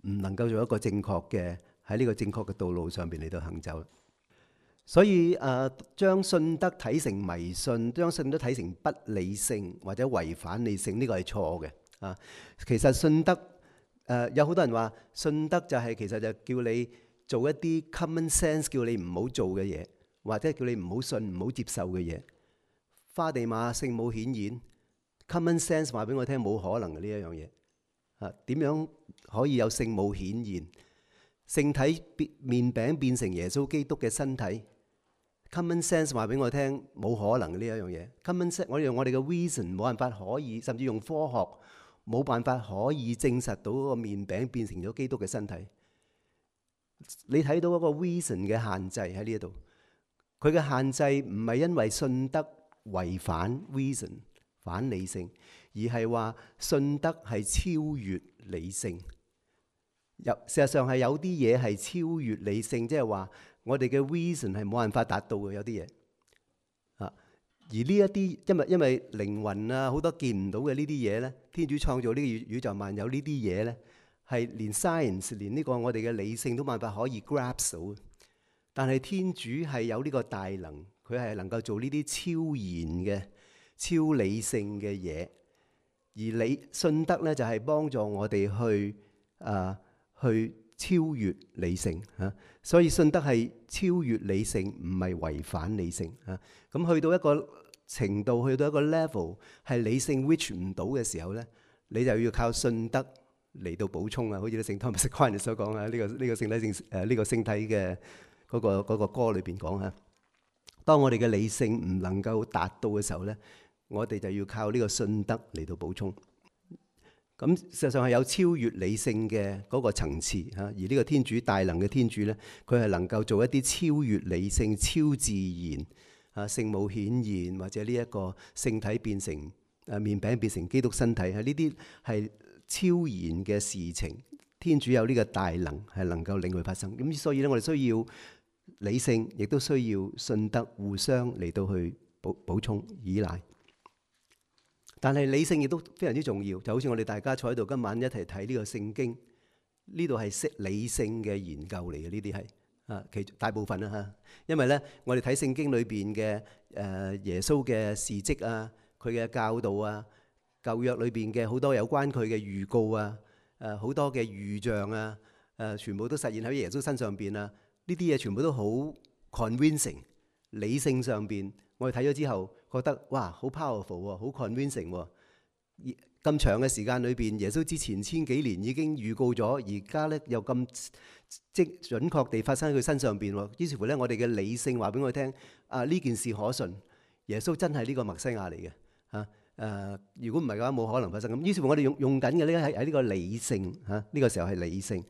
唔能夠做一個正確嘅喺呢個正確嘅道路上邊嚟到行走。所以將信德睇成迷信，將信德睇成不理性或者違反理性，呢個係錯嘅。其實信德有好多人話信德就係其實就叫你做一啲 common sense 叫你唔好做嘅嘢，或者叫你唔好信唔好接受嘅嘢。花地瑪聖母顯現 common sense 話俾我聽冇可能嘅呢一樣嘢。點樣可以有聖母顯現？聖體麵餅變成耶穌基督嘅身體 common sense 話俾我聽冇可能嘅呢一樣嘢。common sense 我哋用我哋嘅 reason 冇辦法可以，甚至用科學冇辦法可以證實到嗰個麵餅變成咗基督嘅身體。你睇到嗰個 reason 嘅限制喺呢一度，佢嘅限制唔係因為信德違反 reason 反理性，而係話信德係超越理性。事實上係有啲嘢係超越理性，即係話我哋嘅 reason 係冇辦法達到嘅有啲嘢。而呢一啲因為靈魂啊好多見唔到嘅呢啲嘢咧，天主創造呢個宇宙萬有呢啲嘢咧，係連 science 連呢個我哋嘅理性都冇辦法可以 grasp 到。但係天主係有呢個大能，佢係能夠做呢啲超然嘅、超理性嘅嘢。而信德咧就係幫助我哋去超越理性嚇，所以信德係超越理性，唔係違反理性嚇。咁去到一個程度，去到一個 level 係理性 reach 唔到嘅時候咧，你就要靠信德嚟到補充啊。好似聖 Thomas Aquinas 所講啊，呢個聖體嘅嗰個歌裏邊講嚇。當我哋嘅理性唔能夠達到嘅時候咧，我哋就要靠呢個信德嚟到補充。咁事實上係有超越理性嘅嗰個層次嚇，而呢個天主大能嘅天主咧，佢係能夠做一啲超越理性、超自然聖母顯現或者呢一個聖體變成麵餅變成基督身體，係呢啲係超然嘅事情。天主有呢個大能係能夠令佢發生。咁所以咧，我哋需要理性，亦都需要信德互相嚟到去補充依賴。但係理性亦都非常之重要，就好似我哋大家坐喺度今晚一齊睇呢個聖經，呢度係理性嘅研究嚟嘅，呢啲係其大部分啦嚇。因為咧，我哋睇聖經裏邊嘅耶穌嘅事蹟啊，佢嘅教導啊，舊約裏邊嘅好多有關佢嘅預告啊，好多嘅預象啊，全部都實現喺耶穌身上邊啊。呢啲嘢全部都好 convincing， 理性上邊我哋睇咗之後覺得哇好 powerful 喎，好 convincing 喎。咁長嘅時間裏邊，耶穌之前千幾年已經預告咗，而家咧又咁準確地發生喺佢身上邊喎。於是乎咧，我哋嘅理性話俾我聽呢件事可信，耶穌真係呢個默西亞嚟嘅嚇。如果唔係嘅話，冇可能發生咁。於是乎我哋用緊嘅呢喺呢個理性嚇，呢個時候係理性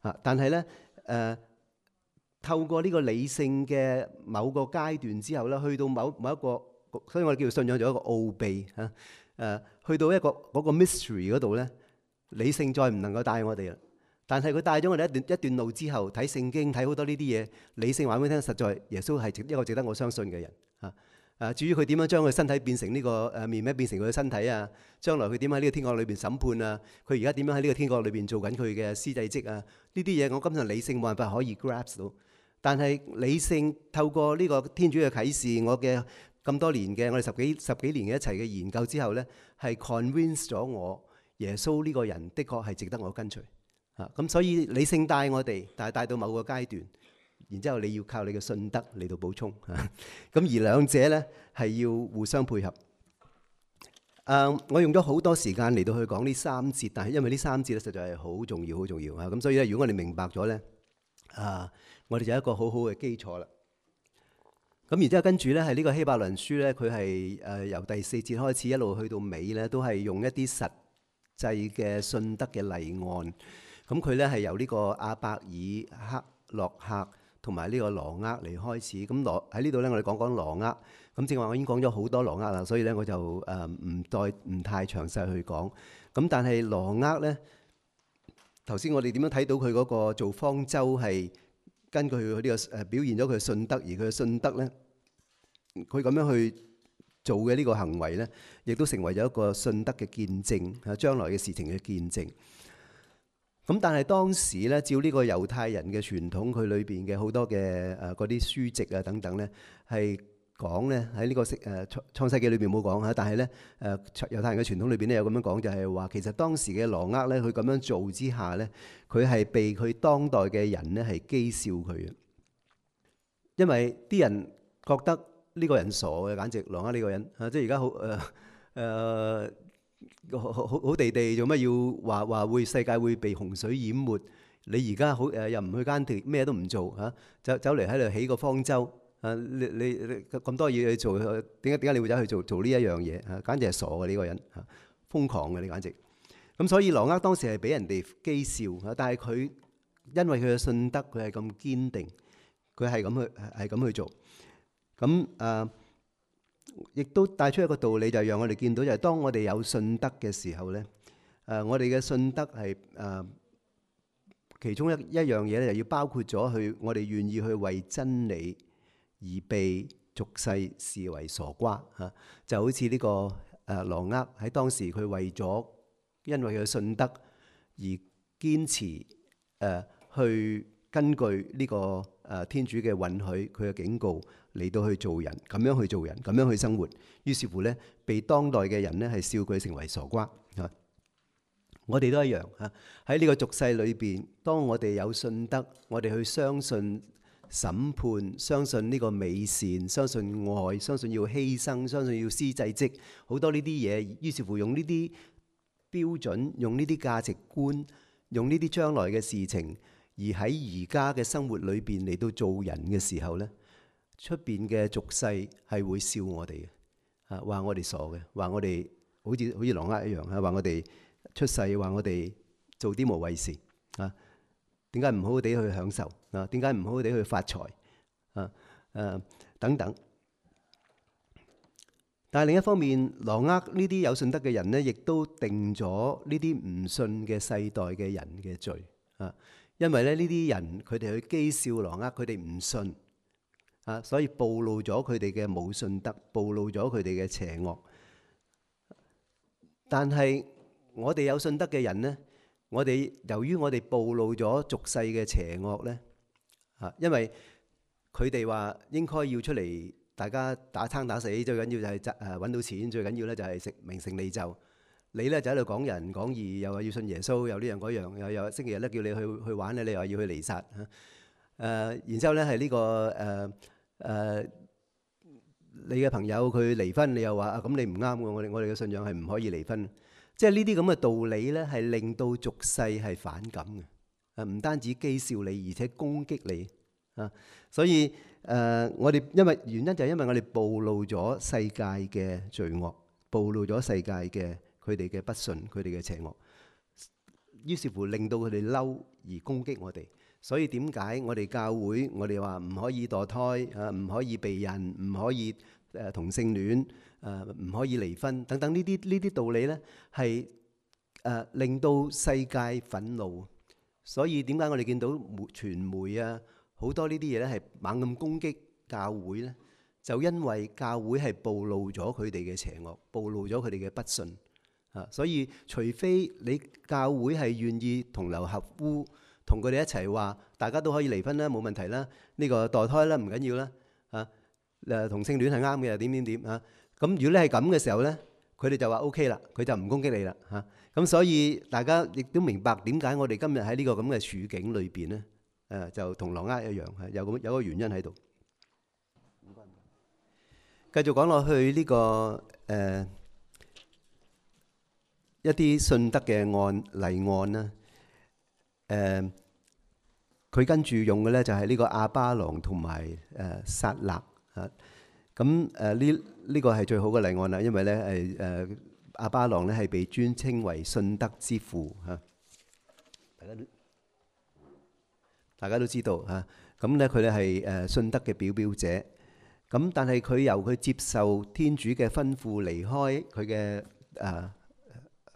嚇。但係咧透過呢個理性嘅某個階段之後咧，去到某一個，所以我哋叫信仰做一個奧秘嚇。去到一個嗰個 mystery 嗰度咧，理性再唔能夠帶我哋啦。但係佢帶咗我哋一段路之後，睇聖經睇好多呢啲嘢，理性話俾我聽，實在耶穌係一個值得我相信嘅人嚇。至於佢點樣將佢身體變成呢個麵餅變成佢嘅身體啊，將來佢點喺呢個天國裏邊審判啊，佢而家點樣喺呢個天國裏邊做緊佢嘅司祭職啊，呢啲嘢我今日理性冇辦法可以 grasp 到。但係理性透過呢個天主嘅啟示，我嘅咁多年嘅我哋十幾年嘅一齊嘅研究之後咧，係 convince 咗我耶穌呢個人的確係值得我跟隨嚇。咁所以理性帶我哋，但係帶到某個階段，然之後你要靠你嘅信德嚟到補充嚇。咁而兩者咧係要互相配合。我用咗好多時間嚟到去講呢三節，但係因為呢三節咧實在係好重要，好重要嚇。咁所以咧，如果我哋明白咗咧，我哋就有一個好好嘅基礎啦。咁然之後跟住咧係呢個希伯來書咧，佢係由第4節開始一路去到尾咧，都係用一啲實際嘅信德嘅例案，咁佢咧係由呢個亞伯爾、克洛克同埋呢個羅厄嚟開始。咁喺呢度咧，我哋講講羅厄。咁正話我已經講咗好多羅厄啦，所以咧我就唔太詳細去講。咁但係羅厄咧，頭先我哋點樣睇到佢嗰個做方舟係根據佢呢個表現咗佢嘅信德，而佢嘅信德咧，佢咁樣去做嘅呢個行為咧，亦都成為咗一個信德嘅見證，將來嘅事情嘅見證。咁但係當時咧，照呢個猶太人嘅傳統，佢裏邊嘅好多嘅嗰啲書籍啊等等咧，係講咧喺呢個創世記裏邊冇講嚇，但係咧猶太人嘅傳統裏邊咧有咁樣講，就係話其實當時嘅羅厄咧，佢咁樣做之下咧，佢係被佢當代嘅人咧係譏笑佢嘅，因為啲人覺得呢個人傻嘅，簡直羅厄呢個人啊，即係而家好地地做乜要話會世界會被洪水淹沒？你而家又唔去耕田，咩都唔做嚇，走嚟喺度起個方舟啊！你咁多嘢去做，點解你會走去做呢一樣嘢嚇？簡直係傻嘅呢個人嚇，瘋狂嘅你簡直。咁所以羅厄當時係俾人哋譏笑嚇，但係佢因為佢嘅信德，佢係咁堅定，佢係咁去做。咁亦都帶出一個道理，就係讓我哋見到，就係當我哋有信德嘅時候咧，我哋嘅信德係其中一樣嘢咧，就要包括咗我哋願意去為真理而被俗世視為傻瓜嚇，就好似呢個羅厄喺當時佢為咗因為佢嘅信德而堅持去根據呢個天主嘅允許，佢嘅警告嚟到去做人，咁樣去做人，咁樣去生活。於是乎咧，被當代嘅人咧係笑佢成為傻瓜嚇。我哋都一樣嚇，喺呢個俗世裏邊，當我哋有信德，我哋去相信審判，相信呢個美善，相信愛，相信要犧牲，相信要施祭職，好多呢啲嘢。於是乎用呢啲標準，用呢啲價值觀，用呢啲將來嘅事情，而喺而家嘅生活裏邊嚟到做人嘅時候咧，出邊嘅俗世係會笑我哋嘅，話我哋傻嘅，話我哋好似羅厄一樣，話我哋出世，話我哋做啲無謂事啊！點解唔好好地去享受啊？點解唔好好地去發財啊？等等。但係另一方面，羅厄呢啲有信德嘅人咧，亦都定咗呢啲唔信嘅世代嘅人嘅罪啊！因為咧呢啲人佢哋去譏笑羅厄，佢哋唔信啊，所以暴露咗佢哋嘅冇信德，暴露咗佢哋嘅邪惡。但係我哋有信德嘅人咧，我哋由於我哋暴露咗俗世嘅邪惡咧，因為佢哋話應該要出嚟，大家打生打死，最緊要就係揾到錢，最緊要咧就係食名成利就。你咧就喺度講仁講義，又話要信耶穌，又呢樣嗰樣，又星期日咧叫你去玩咧，你又話要去彌撒嚇。然之後咧係呢個你嘅朋友佢離婚，你又話咁你唔啱喎，我哋嘅信仰係唔可以離婚。即係呢啲咁嘅道理咧，係令到俗世係反感嘅。唔單止譏笑你，而且攻擊你啊。所以我哋原因就係因為我哋暴露咗世界嘅罪惡，暴露咗世界嘅佢哋嘅不信，佢哋嘅邪惡，於是乎令到佢哋嬲而攻擊我哋。所以點解我哋教會我哋話唔可以墮胎啊，唔可以避孕，唔可以同性戀，唔可以離婚等等呢啲道理咧，係令到世界憤怒。所以點解我哋見到傳媒啊好多呢啲嘢咧係猛咁攻擊教會咧？就因為教會係暴露咗佢哋嘅邪惡，暴露咗佢哋嘅不信啊！所以除非你教會係願意同流合污，同佢哋一齊話，大家都可以離婚啦，冇問題啦，呢個墮胎啦唔緊要啦啊，同性戀係啱嘅，點啊？咁如果你係咁嘅時候咧，佢哋就話 OK 啦，佢就唔攻擊你啦嚇。咁所以大家亦都明白點解我哋今日喺呢個咁嘅處境裏邊咧，就同羅厄一樣，係有個原因喺度。繼續講落去呢個一啲信德嘅例案啦，佢跟住用嘅咧就係呢個亞巴郎同埋撒勒啊。咁呢個係最好嘅例案啦，因為咧亞巴郎咧係被尊稱為信德之父嚇。大家大家都知道嚇。咁咧佢哋係信德嘅表表者。咁但係佢由佢接受天主嘅吩咐離開佢嘅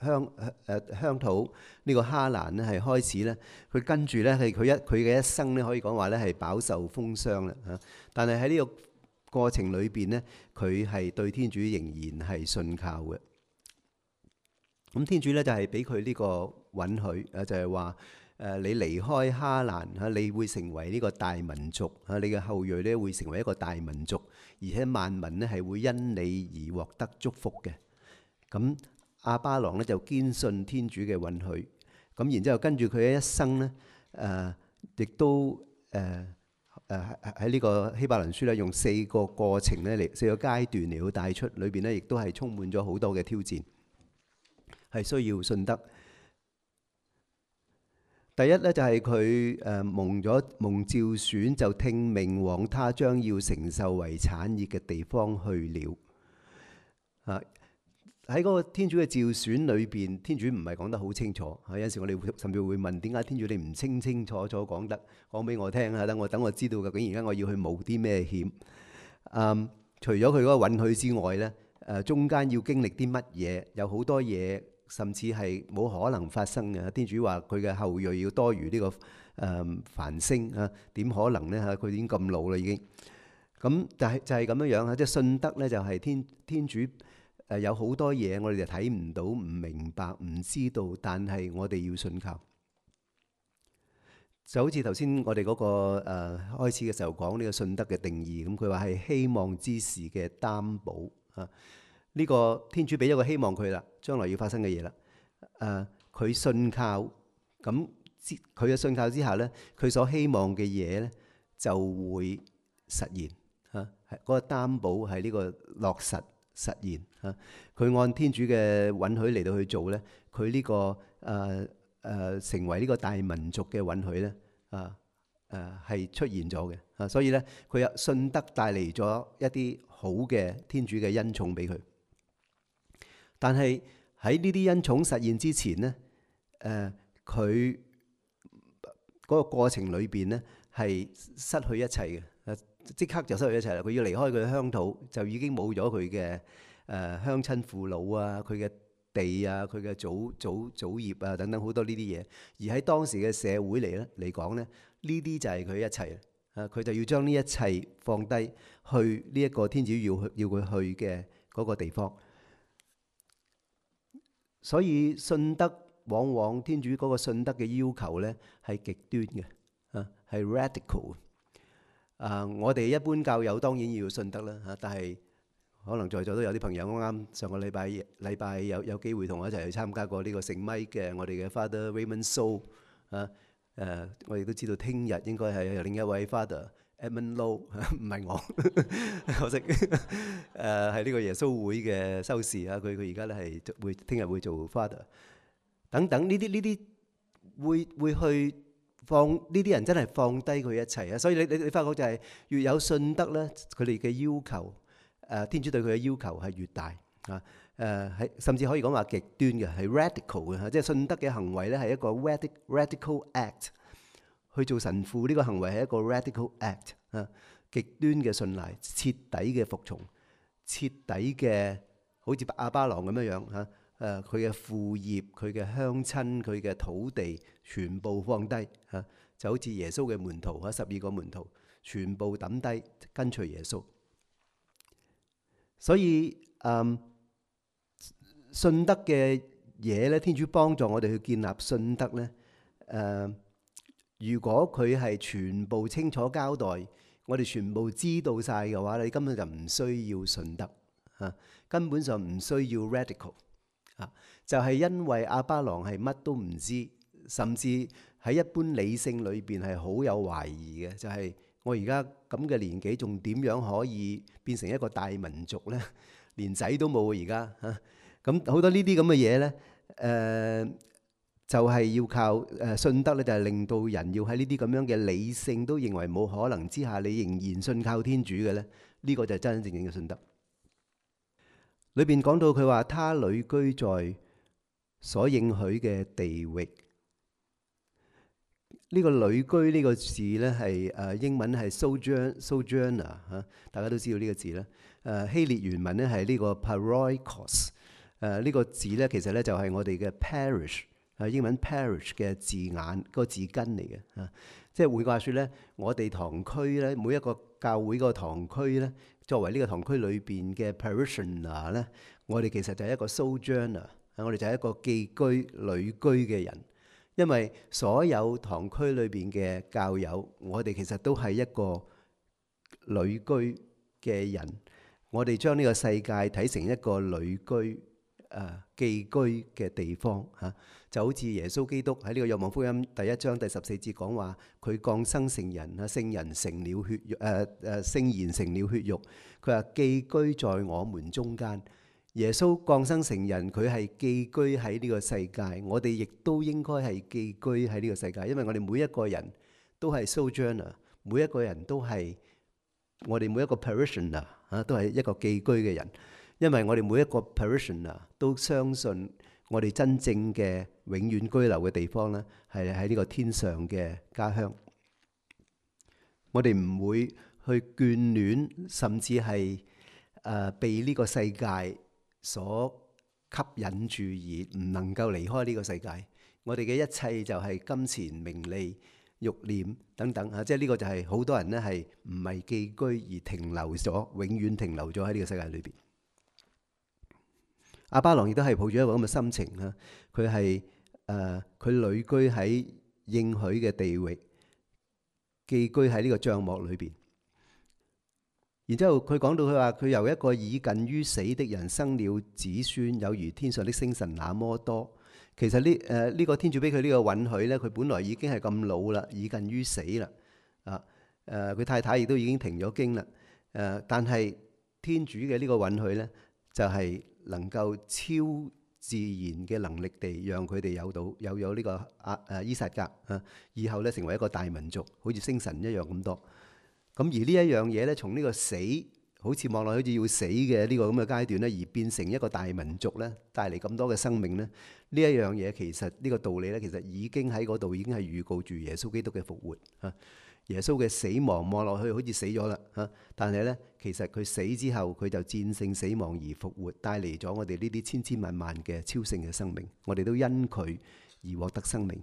鄉土呢個哈蘭咧係開始咧，佢跟住咧係佢嘅一生咧可以講話咧係飽受風霜啦嚇。但係喺呢個過程裏邊咧，佢係對天主仍然係信靠嘅。咁天主咧就係俾佢呢個允許就係話你離開哈蘭嚇，你會成為呢個大民族嚇，你嘅後裔咧會成為一個大民族，而且萬民咧係會因你而獲得祝福嘅。咁亞巴郎咧就堅信天主嘅允許，咁然之後跟住佢嘅一生咧，亦都喺呢個希伯來書咧用4個過程咧4個階段嚟到帶出，裏邊咧亦都係充滿咗好多嘅挑戰，係需要信德。第一咧就係佢蒙召選，就聽命往他將要承受為產業嘅地方去了。喺嗰個天主嘅召選裏邊，天主唔係講得好清楚。有陣時我哋甚至會問，點解天主你唔清清楚楚講俾我聽啊？等我知道究竟而家我要去冒啲咩險。除咗佢嗰個允許之外咧，中間要經歷啲乜嘢？有好多嘢甚至係冇可能發生嘅。天主話佢嘅後裔要多如呢個繁星啊，點可能咧嚇？佢已經咁老啦已經。咁但係就係咁樣樣啊，即係信德咧就係天主。有好多嘢我哋就睇唔到、唔明白、唔知道，但係我哋要信靠。就好似頭先我哋嗰個開始嘅時候講呢個信德嘅定義，咁佢話係希望之事嘅擔保啊。呢個天主俾咗個希望佢啦，將來要發生嘅嘢啦。佢信靠，咁佢嘅信靠之下咧，佢所希望嘅嘢咧就會實現啊。嗰個擔保係呢個落實。實現嚇，佢按天主嘅允許嚟到去做咧，佢呢個成為呢個大民族嘅允許咧，係出現咗嘅。所以咧佢有信德帶嚟咗一啲好嘅天主嘅恩寵俾佢。但係喺呢啲恩寵實現之前咧，佢嗰個過程裏邊咧係失去一切嘅。即刻就失去一切啦！佢要離開佢嘅鄉土，就已經冇咗佢嘅鄉親父老啊，佢嘅地啊，佢嘅祖業啊等等好多呢啲嘢。而喺當時嘅社會嚟講咧，呢啲就係佢一切啊！佢就要將呢一切放低，去呢一個天主要佢去嘅嗰個地方。所以信德往往天主嗰個信德嘅要求咧係極端嘅啊，係 radical。我哋一般教友當然要信德啦嚇，但係可能在座都有啲朋友啱上個禮拜有機會同我一齊去參加過呢個聖米嘅我哋嘅 Father Raymond So 我哋都知道聽日應該係有另一位 Father Edmund Low， 唔係我，可惜係呢個耶穌會嘅修士啊，佢而家咧係聽日會做 Father 等等呢啲會去。放呢啲人真係放低佢一切啊！所以你發覺就係越有信德咧，佢哋嘅要求，天主對佢嘅要求係越大啊！係甚至可以講話極端嘅，係 radical 嘅，即係信德嘅行為咧係一個 radical act。去做神父呢個行為係一個 radical act 啊！極端嘅信賴，徹底嘅服從，徹底嘅好似亞巴郎咁樣樣嚇。佢嘅父業、佢嘅鄉親、佢嘅土地，全部放低嚇，就好似耶穌嘅門徒嚇，12個門徒全部抌低跟隨耶穌。所以信德嘅嘢咧，天主幫助我哋去建立信德咧。如果佢係全部清楚交代，我哋全部知道晒嘅話，你根本就唔需要信德嚇，根本上唔需要 radical。就係因為亞巴郎係乜都唔知，甚至喺一般理性裏邊係好有懷疑嘅。就係我而家咁嘅年紀，仲點樣可以變成一個大民族呢？連仔都冇而家嚇。咁好多呢啲咁嘅嘢呢，就係要靠信德咧，就係令到人要喺呢啲咁樣嘅理性都認為冇可能之下，你仍然信靠天主嘅呢。呢個就係真真正正嘅信德。裏邊講到佢話，他旅居在所應許嘅地域。呢個旅居呢個字咧係英文係 sojourner 嚇，大家都知道呢個字啦。希臘原文咧係呢個 paroikos。呢個字咧其實咧就係我哋嘅 parish，英文 parish 嘅字眼，個字根嚟嘅嚇。即係換句話説咧，我哋堂區咧，每一個教會個堂區咧，作為呢個堂區裏邊嘅 parishioner 咧，我哋其實就係一個 sojourner，我哋就係一個寄居旅居嘅人。因為所有堂區裏邊嘅教友，我哋其實都係一個旅居嘅人。我哋將呢個世界睇成一個旅居寄居嘅地方嚇，就好似耶穌基督喺呢個若望福音第1章第14節講話，佢降生成人啊，聖言成了血肉，聖言成了血肉。佢話寄居在我們中間。耶穌降生成人，佢係寄居喺呢個世界，我哋亦都應該係寄居喺呢個世界，因為我哋每一個人都係 sojourner，每一個人都係我哋每一個 parishioner 都係一個寄居嘅人，因為我哋每一個 parishioner 都相信我哋真正嘅永遠居留嘅地方咧，係喺呢個天上嘅家鄉。我哋唔會去眷戀，甚至係被呢個世界所吸引住而唔能夠離開呢個世界。我哋嘅一切就係金錢、名利、慾念等等嚇，即係呢個就係好多人咧係唔係寄居而停留咗，永遠停留咗喺呢個世界裏邊。亞巴郎亦都係抱住一個咁嘅心情嚇，佢係佢旅居喺應許嘅地域，寄居喺呢個帳幕裏邊。然之後佢講到佢話佢由一個已近於死的人生了子孫，有如天上的星辰那麼多。其實呢個天主俾佢呢個允許咧，佢本來已經係咁老啦，已近於死啦。佢太太亦都已經停咗經啦。但係天主嘅呢個允許咧，就係能夠超自然嘅能力地讓佢哋有咗呢個伊撒格以後咧成為一個大民族，好似星辰一樣咁多。咁而呢一樣嘢咧，從呢個死好似望落好似要死嘅呢個咁嘅階段咧，而變成一個大民族咧，帶嚟咁多嘅生命咧，呢一樣嘢其實呢個道理咧，其實已經喺嗰度已經係預告住耶穌基督嘅復活嚇。耶穌嘅死亡望落去好似死咗啦嚇，但係咧其實佢死之後佢就戰勝死亡而復活，帶嚟咗我哋呢啲千千萬萬嘅超性嘅生命，我哋都因佢而獲得生命。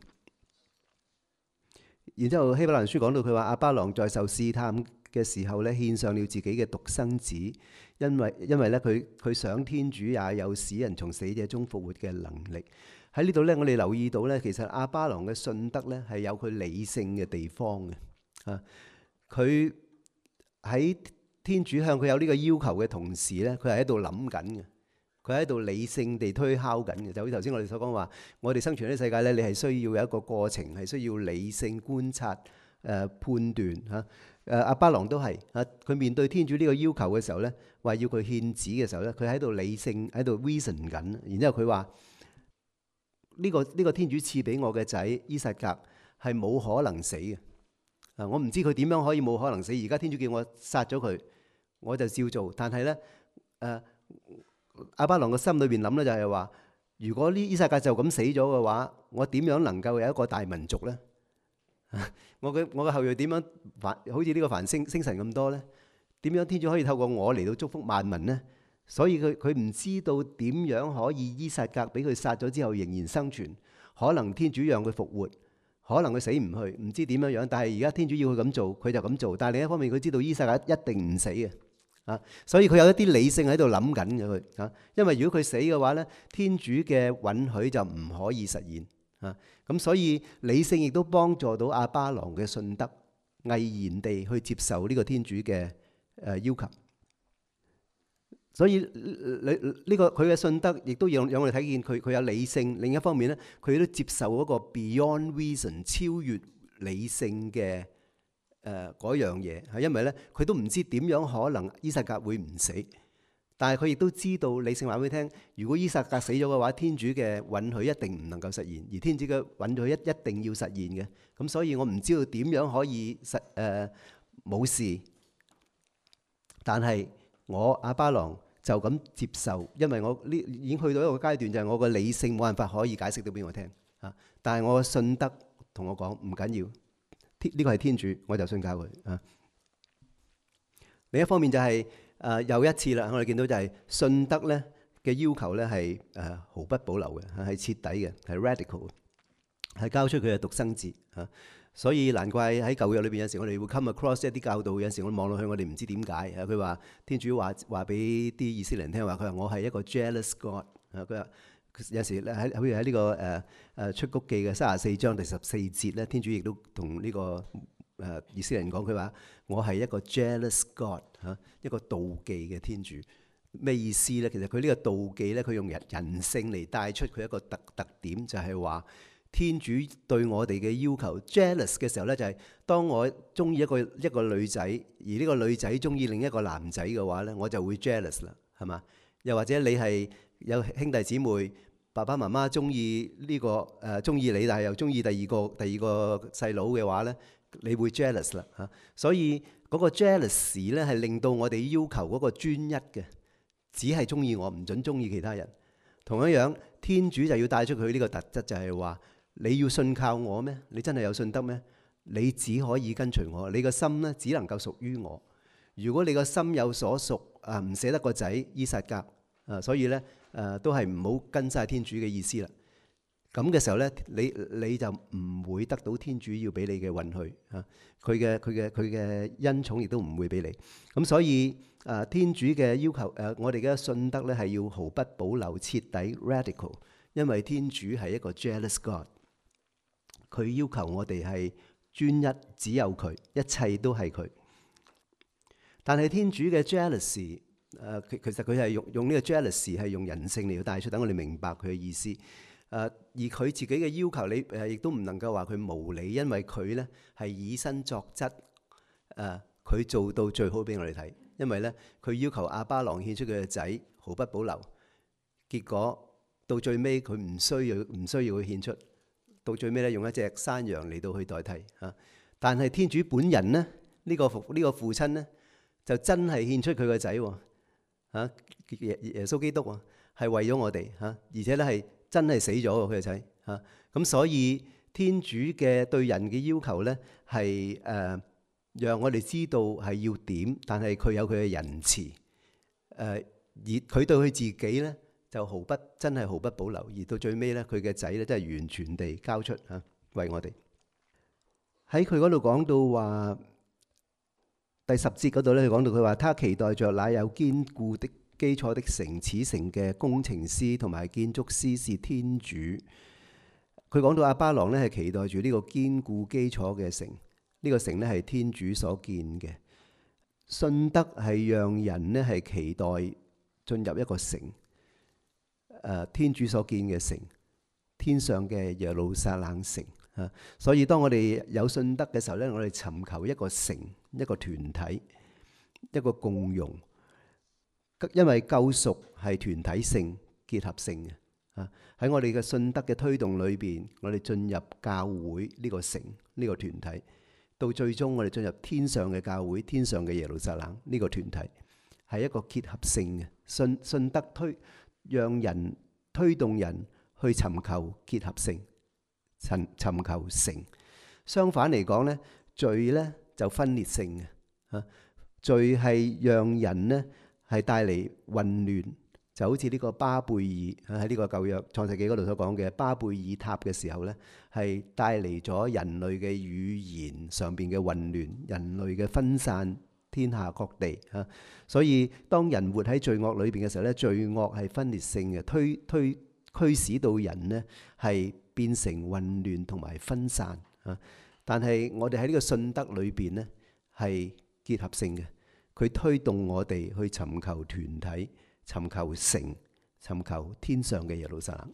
然之後希伯來書講到佢話亞巴郎在受試探嘅時候咧，獻上了自己嘅獨生子，因為咧佢想天主也有使人從死者中復活嘅能力。喺呢度咧，我哋留意到咧，其實亞巴郎嘅信德咧係有佢理性嘅地方嘅。佢喺天主向佢有呢個要求嘅同時咧，佢係喺度諗緊嘅，佢喺度理性地推敲緊嘅。就好似頭先我哋所講話，我哋生存喺呢個世界咧，你係需要有一個過程，係需要理性觀察、判斷嚇。亞巴郎都係佢面對天主呢個要求嘅時候咧，話要佢獻子嘅時候咧，佢喺度理性喺度 reason 緊。然之後佢話呢個天主賜俾我嘅仔伊撒格係冇可能死嘅。我唔知佢點樣可以冇可能死。而家天主叫我殺咗佢，我就照做。但係咧，亞巴郎嘅心裏邊諗咧就係話，如果呢伊撒格就咁死咗嘅話，我點樣能夠有一個大民族咧？我嘅後裔點樣好似呢個繁星辰咁多咧？點樣天主可以透過我嚟到祝福萬民咧？所以佢唔知道點樣可以伊撒格俾佢殺咗之後仍然生存，可能天主讓佢復活。可能佢死唔去，唔知點樣樣，但係而家天主要佢咁做，佢就咁做。但係另一方面，佢知道伊撒格一定唔死嘅，所以佢有一啲理性喺度諗緊嘅佢，因為如果佢死嘅話咧，天主嘅允許就唔可以實現，咁所以理性亦都幫助到亞巴郎嘅信德，毅然地去接受呢個天主嘅要求。所以呢個佢嘅信德亦都讓我哋睇見佢有理性。另一方面咧，佢都接受嗰個 beyond reason 超越理性嘅嗰樣嘢，係因為咧佢都唔知點樣可能伊撒格會唔死，但係佢亦都知道理性話俾佢聽，如果伊撒格死咗嘅話，天主嘅允許一定唔能夠實現，而天主嘅允許一定要實現嘅。咁所以我唔知道點樣可以冇事，但係我亞巴郎就咁接受，因為我已經去到一個階段，就係我個理性冇辦法可以解釋到俾我聽，但係我嘅信德同我講唔緊要，呢個係天主，我就信靠佢啊。另一方面就係又一次啦，我哋見到就係信德咧嘅要求咧係毫不保留嘅，係徹底嘅，係 radical， 係交出佢嘅獨生子啊。所以難怪喺舊約裏邊有時我哋會 come across 一啲教導，有時我望落去我哋唔知點解啊。佢話天主話俾啲以色列人聽話，佢話我係一個 jealous God 啊。佢話有時咧好似喺呢個出谷記嘅34章第14節咧，天主亦都同呢個以色列人講，佢話我係一個 jealous God 嚇，一個妒忌嘅天主。咩意思咧？其實佢呢個妒忌咧，佢用人性嚟帶出佢一個特點，就係話天主對我哋嘅要求 jealous 嘅時候咧，就係當我中意一個女仔，而呢個女仔中意另一個男仔嘅話咧，我就會 jealous 啦，係嘛？又或者你係有兄弟姊妹，爸爸媽媽中意呢個中意你，但係又中意第二個細佬嘅話咧，你會 jealous 啦嚇。所以嗰個 jealous 咧係令到我哋要求嗰個專一嘅，只係中意我，唔準中意其他人。同一樣，天主就要帶出佢呢個特質，就係話你要信靠我咩？你真係有信德咩？你只可以跟隨我，你個心咧只能夠屬於我。如果你個心有所屬唔捨得個仔依撒格所以咧都係唔好跟晒天主嘅意思啦。咁嘅時候咧，你就唔會得到天主要俾你嘅允許啊！佢嘅恩寵亦都唔會俾你。咁所以天主嘅要求我哋嘅信德咧係要毫不保留、徹底 radical， 因為天主係一個 jealous God， 佢要求我哋係專一，只有佢，一切都係佢。但係天主嘅 jealousy， 其實佢係用呢個 jealousy 係用人性嚟到帶出，等我哋明白佢嘅意思。而佢自己嘅要求，你亦都唔能夠話佢無理，因為佢咧係以身作則，佢做到最好俾我哋睇。因為咧，佢要求亞巴郎獻出佢嘅仔，毫不保留。結果到最尾，佢唔需要去獻出，到最尾咧用一隻山羊嚟到去代替嚇。但係天主本人咧，呢個父親咧，就真係獻出佢個仔喎嚇，耶穌基督啊，係為咗我哋嚇，而且咧係真係死咗喎佢個仔嚇。咁所以天主嘅對人嘅要求咧係讓我哋知道係要點，但係佢有佢嘅仁慈而佢對佢自己咧就真係毫不保留，而到最尾咧佢嘅仔咧真係完全地交出嚇為我哋。喺佢嗰度講到話第10節嗰度咧，佢講到佢話，他期待着那有堅固的基礎的城，此城嘅工程師同埋建築師是天主。佢講到亞巴郎咧係期待住呢個堅固基礎嘅城，呢個城咧係天主所建嘅。信德係讓人咧係期待進入一個城，天主所建嘅城，天上嘅耶路撒冷城。所以當我哋有信德嘅時候咧，我哋尋求一個城、一個團體、一個共融，因為救贖係團體性、結合性嘅。喺我哋嘅信德嘅推動裏邊，我哋進入教會呢個城、呢個團體，到最終我哋進入天上嘅教會、天上嘅耶路撒冷呢個團體，係一個結合性嘅信德讓人推動人去尋求結合性。尋求城。相反嚟講咧，罪咧就分裂性嘅。罪係讓人咧係帶嚟混亂，就好似呢個巴貝爾喺呢個舊約創世紀嗰度所講嘅巴貝爾塔嘅時候咧，係帶嚟咗人類嘅語言上邊嘅混亂，人類嘅分散天下各地嚇。所以當人活喺罪惡裏邊嘅時候咧，罪惡係分裂性嘅，驅使到人咧係變成混亂同埋分散啊！但係我哋喺呢個信德裏邊咧係結合性嘅，佢推動我哋去尋求團體、尋求城、尋求天上嘅耶路撒冷。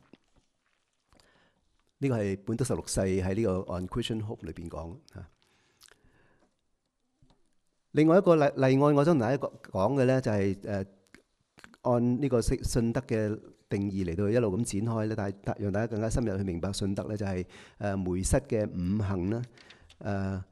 呢個係本篤十六世喺呢個 On Christian Hope 裏邊講啊。另外一個例外，我想同大家講嘅咧就係按呢個信德嘅定義嚟到一路咁展開咧，但係讓大家更加深入去明白信德咧，就係梅瑟嘅五行啦。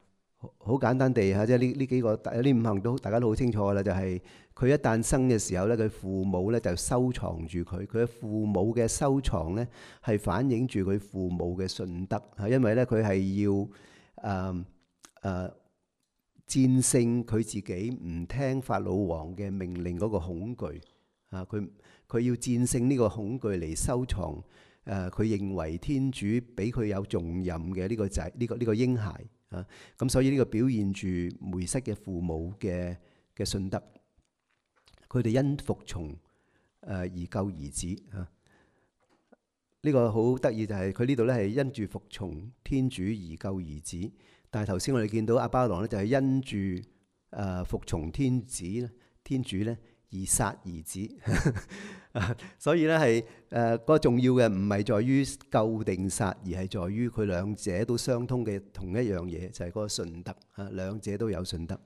好簡單地嚇，即係呢幾個呢五行都大家都好清楚㗎啦，就係佢一誕生嘅時候咧，佢父母咧就收藏住佢，佢嘅父母嘅收藏咧係反映住佢父母嘅信德嚇，因為咧佢係要戰勝佢自己唔聽法老王嘅命令嗰個恐懼啊，佢要戰勝呢個恐懼嚟收藏佢認為天主俾佢有重任嘅呢個仔呢個嬰孩。咁所以呢個表現住梅瑟嘅父母嘅信德，佢哋因服從而救兒子啊！呢個好得意就係佢呢度咧係因住服從天主而救兒子，但係頭先我哋見到亞巴郎咧就係因住服從天主咧而殺兒子。所以咧係嗰個重要嘅唔係在於救定殺，而係在於佢兩者都相通嘅同一樣嘢，就係嗰個信德啊，兩者都有信德。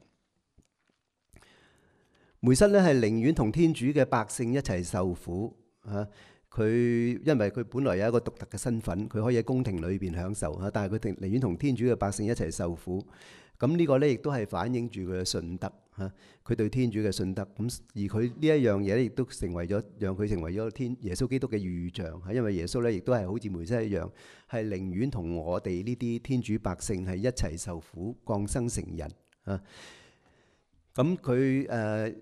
梅瑟咧係寧願同天主嘅百姓一齊受苦啊！佢因為佢本來有一個獨特嘅身份，佢可以喺宮廷裏邊享受啊，但係佢寧願同天主嘅百姓一齊受苦。咁呢個咧亦都係反映住佢嘅信德嚇，佢對天主嘅信德。咁而佢呢一樣嘢咧，亦都成為咗讓佢成為咗耶穌基督嘅預象嚇。因為耶穌咧亦都係好似梅瑟一樣，係寧願同我哋呢啲天主百姓係一齊受苦，降生成人啊。咁佢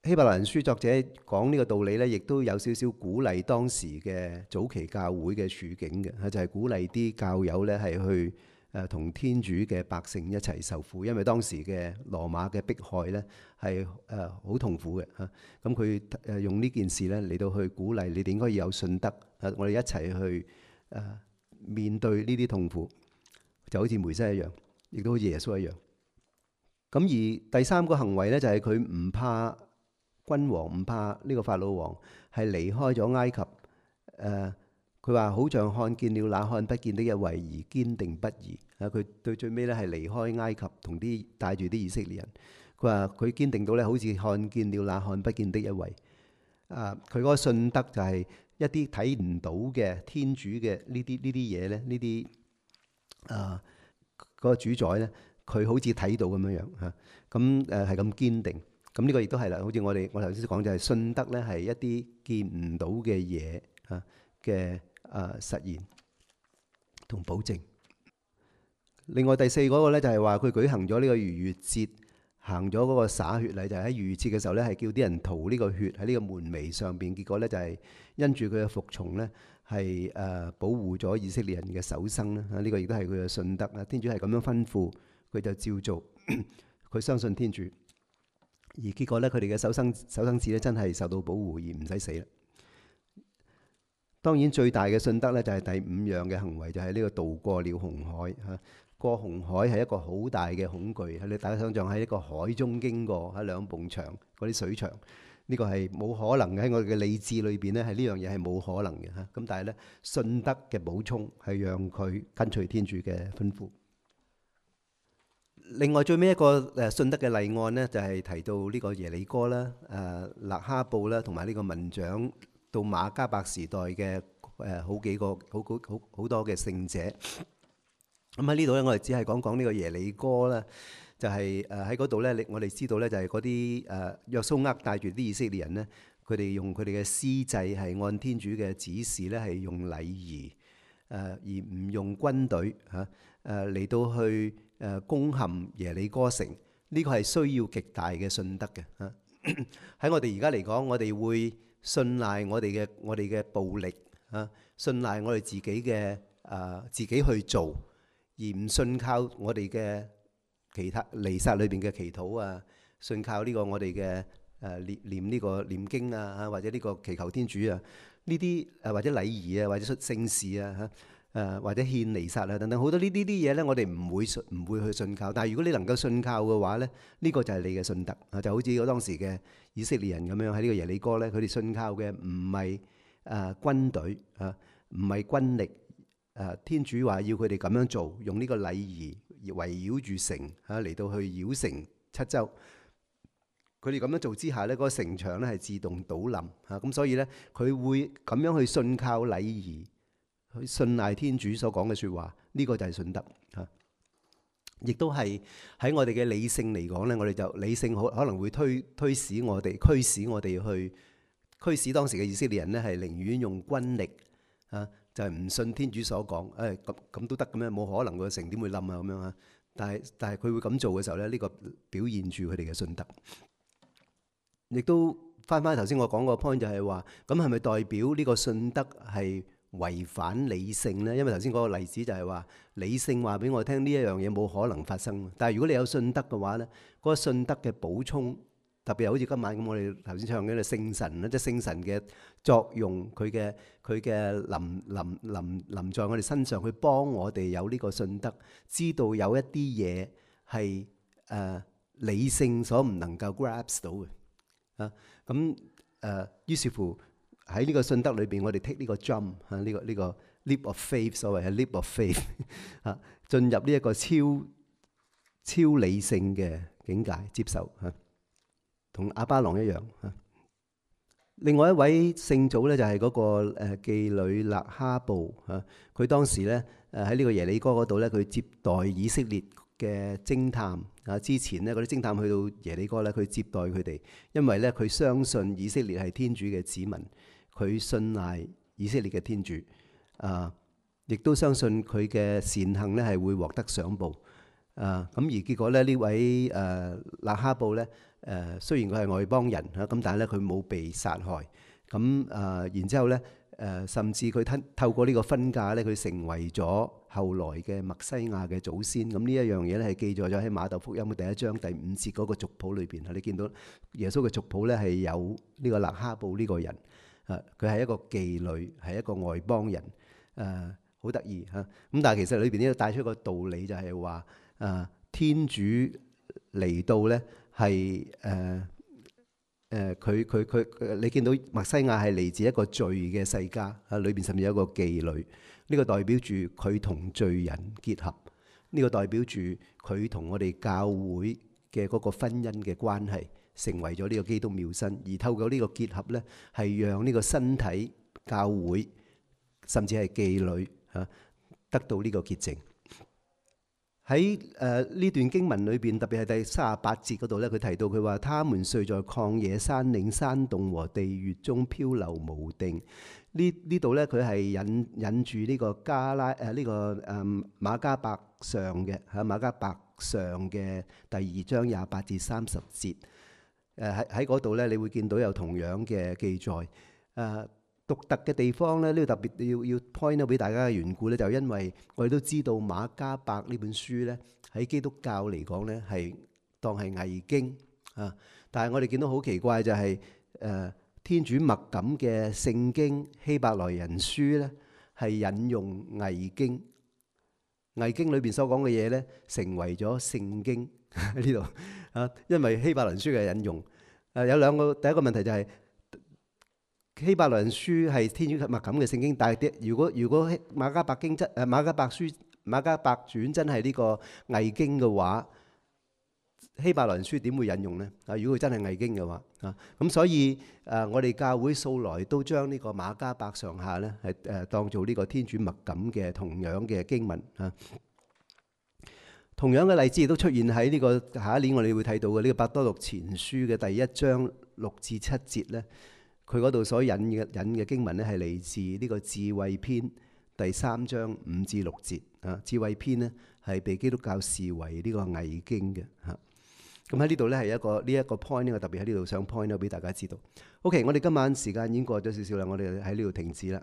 希伯來人書作者講呢個道理咧，亦都有少少鼓勵當時嘅早期教會嘅處境嘅，就係鼓勵啲教友咧係去同天主嘅百姓一齊受苦，因為當時嘅羅馬嘅迫害咧係好痛苦嘅嚇。咁佢用呢件事咧嚟到去鼓勵你哋應該要有信德，我哋一齊去面對呢啲痛苦，就好似梅瑟一樣，亦都好似耶穌一樣。咁而第三個行為咧就係佢唔怕君王，唔怕呢個法老王，係離開咗埃及。佢話好像看見了那看不見的一位而堅定不移。佢對最尾咧係離開埃及，同啲帶住啲以色列人。佢話佢堅定到咧，好似看見了那看不見的一位。佢嗰個信德就係一啲睇唔到嘅天主嘅呢啲嘢咧，呢啲嗰個主宰咧，佢好似睇到咁樣樣嚇。咁係咁堅定。咁呢個亦都係啦，好似我頭先講就係信德咧係一啲見唔到嘅嘢嚇嘅實現同保證。另外第四嗰個咧就係話佢舉行咗呢個逾越節，行咗嗰個灑血禮，就係喺逾越節嘅時候咧係叫啲人塗呢個血喺呢個門楣上邊。結果咧就係因住佢嘅服從咧係保護咗以色列人嘅手生啦。呢個亦都係佢嘅信德啦。天主係咁樣吩咐，佢就照做。佢相信天主。而結果咧，佢哋嘅手生子咧，真係受到保護而唔使死啦。當然最大嘅信德咧，就係第五樣嘅行為，就係呢個渡過了紅海嚇。過紅海係一個好大嘅恐懼，你大家想象喺一個海中經過，喺兩埲牆嗰啲水牆，呢個係冇可能嘅。喺我哋嘅理智裏邊咧，係呢樣嘢係冇可能嘅嚇。咁但係咧，信德嘅補充係讓佢跟隨天主嘅吩咐。另外最尾一個信德嘅例案呢，就係提到呢個耶利哥啦、勒哈布啦，同埋呢個民長到馬加伯時代嘅好幾個好多嘅聖者。咁喺呢度咧，我哋只係講呢個耶利哥啦，就係喺嗰度咧，我哋知道咧就係嗰啲約蘇厄帶住啲以色列人呢，佢哋用佢哋嘅司祭係按天主嘅指示咧，係用禮儀而唔用軍隊嚇嚟到去攻陷耶利哥城。呢個係需要極大嘅信德嘅嚇。喺我哋而家嚟講，我哋會信賴我哋嘅暴力嚇，信賴我哋自己嘅自己去做，而唔信靠我哋嘅其他彌撒裏邊嘅祈禱啊，信靠呢個我哋嘅念呢個念經啊，或者呢個祈求天主啊，呢啲或者禮儀啊，或者出聖事啊或者獻彌撒啊等等，好多呢啲嘢咧，我哋唔會去信靠。但係如果你能夠信靠嘅話咧，呢個就係你嘅信德啊，就好似我當時嘅以色列人咁樣喺呢個耶利哥咧，佢哋信靠嘅唔係軍隊啊，唔係軍力。天主話要佢哋咁樣做，用呢個禮儀圍繞住城嚟到去繞城七周。佢哋咁樣做之下呢，嗰個城牆咧係自動倒冧嚇。咁所以呢，佢會咁樣去信靠禮儀，去信賴天主所講嘅説話。呢個就係信德嚇。亦都係喺我哋嘅理性嚟講咧，我哋就理性可能會驅使我哋去驅使當時嘅以色列人咧係寧願用軍力啊，就係唔信天主所講，咁都得嘅咩？冇可能個城點會冧啊咁樣啊！但係佢會咁做嘅時候咧，呢個表現住佢哋嘅信德。亦都翻頭先我講個 point 就係話，咁係咪代表呢個信德係違反理性咧？因為頭先嗰個例子就係話，理性話俾我聽呢一樣嘢冇可能發生。但係如果你有信德嘅話咧，嗰個信德嘅補充，特別係好似今晚咁，我哋頭先唱嘅聖神咧，即係聖神嘅作用，佢嘅臨在我哋身上，去幫我哋有呢個信德，知道有一啲嘢係理性所唔能夠 grasp 到嘅。咁於是乎喺呢個信德裏邊，我哋 take 呢個 jump 呢個 leap of faith， 所謂係 leap of faith 進入呢一個超理性嘅境界，接受同亞巴郎一樣。另外一位聖祖咧就係嗰個妓女勒哈布，佢當時咧喺呢個耶利哥嗰度咧，佢接待以色列嘅偵探之前咧，嗰啲偵探去到耶利哥咧，佢接待佢哋，因為咧佢相信以色列係天主嘅子民，佢信賴以色列嘅天主，亦都相信佢嘅善行咧係會獲得賞報。咁而結果咧，呢位勒哈布咧，雖然佢係外邦人咁，但係咧佢冇被殺害。咁然之後咧，甚至佢透過呢個婚嫁咧，佢成為咗後來嘅默西亞嘅祖先。咁呢一樣嘢咧係記載咗喺馬竇福音嘅第1章第5節嗰個族譜裏邊。你見到耶穌嘅族譜咧係有呢個勒哈布呢個人，佢係一個妓女，係一個外邦人，好得意嚇。咁但係其實裏邊呢度帶出一個道理，就係話天主嚟到咧係你見到默西亞係嚟自一個罪嘅世家，裏邊甚至有一個妓女，呢個代表住佢同罪人結合，呢個代表住佢同我哋教會嘅嗰個婚姻嘅關係，成為咗呢個基督妙身，而透過呢個結合咧，係讓呢個身體教會甚至係妓女得到呢個潔淨。喺呢段經文裏邊，特別係第38節嗰度咧，佢提到佢話：他們遂在曠野、山嶺、山洞和地穴中漂流無定。呢度咧，佢係引住呢個馬加伯上嘅馬加伯上嘅第2章28至30節。喺嗰度咧，你會見到有同樣嘅記載。獨特嘅地方咧，呢個特別要 point out 俾大家嘅緣故咧，就因為我哋都知道馬加伯呢本書咧，喺基督教嚟講咧係當係偽經啊。但係我哋見到好奇怪就係天主默感嘅聖經希伯來人書咧，係引用偽經，偽經裏邊所講嘅嘢咧，成為咗聖經喺呢度因為希伯來人書嘅引用有兩個。第一個問題就係希伯來人書係天主默感嘅聖經，但係如果馬加伯傳真係呢個偽經嘅話，希伯來人書點會引用呢？如果佢真係偽經嘅話咁所以我哋教會素來都將呢個馬加伯上下咧係當做呢個天主默感嘅同樣嘅經文同樣嘅例子亦都出現喺呢個下一年我哋會睇到嘅呢個伯多祿前書嘅第1章6至7節咧。佢嗰度所引嘅經文咧，係嚟自呢個智慧篇第3章5至6節智慧篇咧係被基督教視為呢個偽經嘅咁喺呢度咧係呢一個 point 呢，我特別喺呢度想 point 俾大家知道。OK， 我哋今晚時間已經過咗少少啦，我哋喺呢度停止啦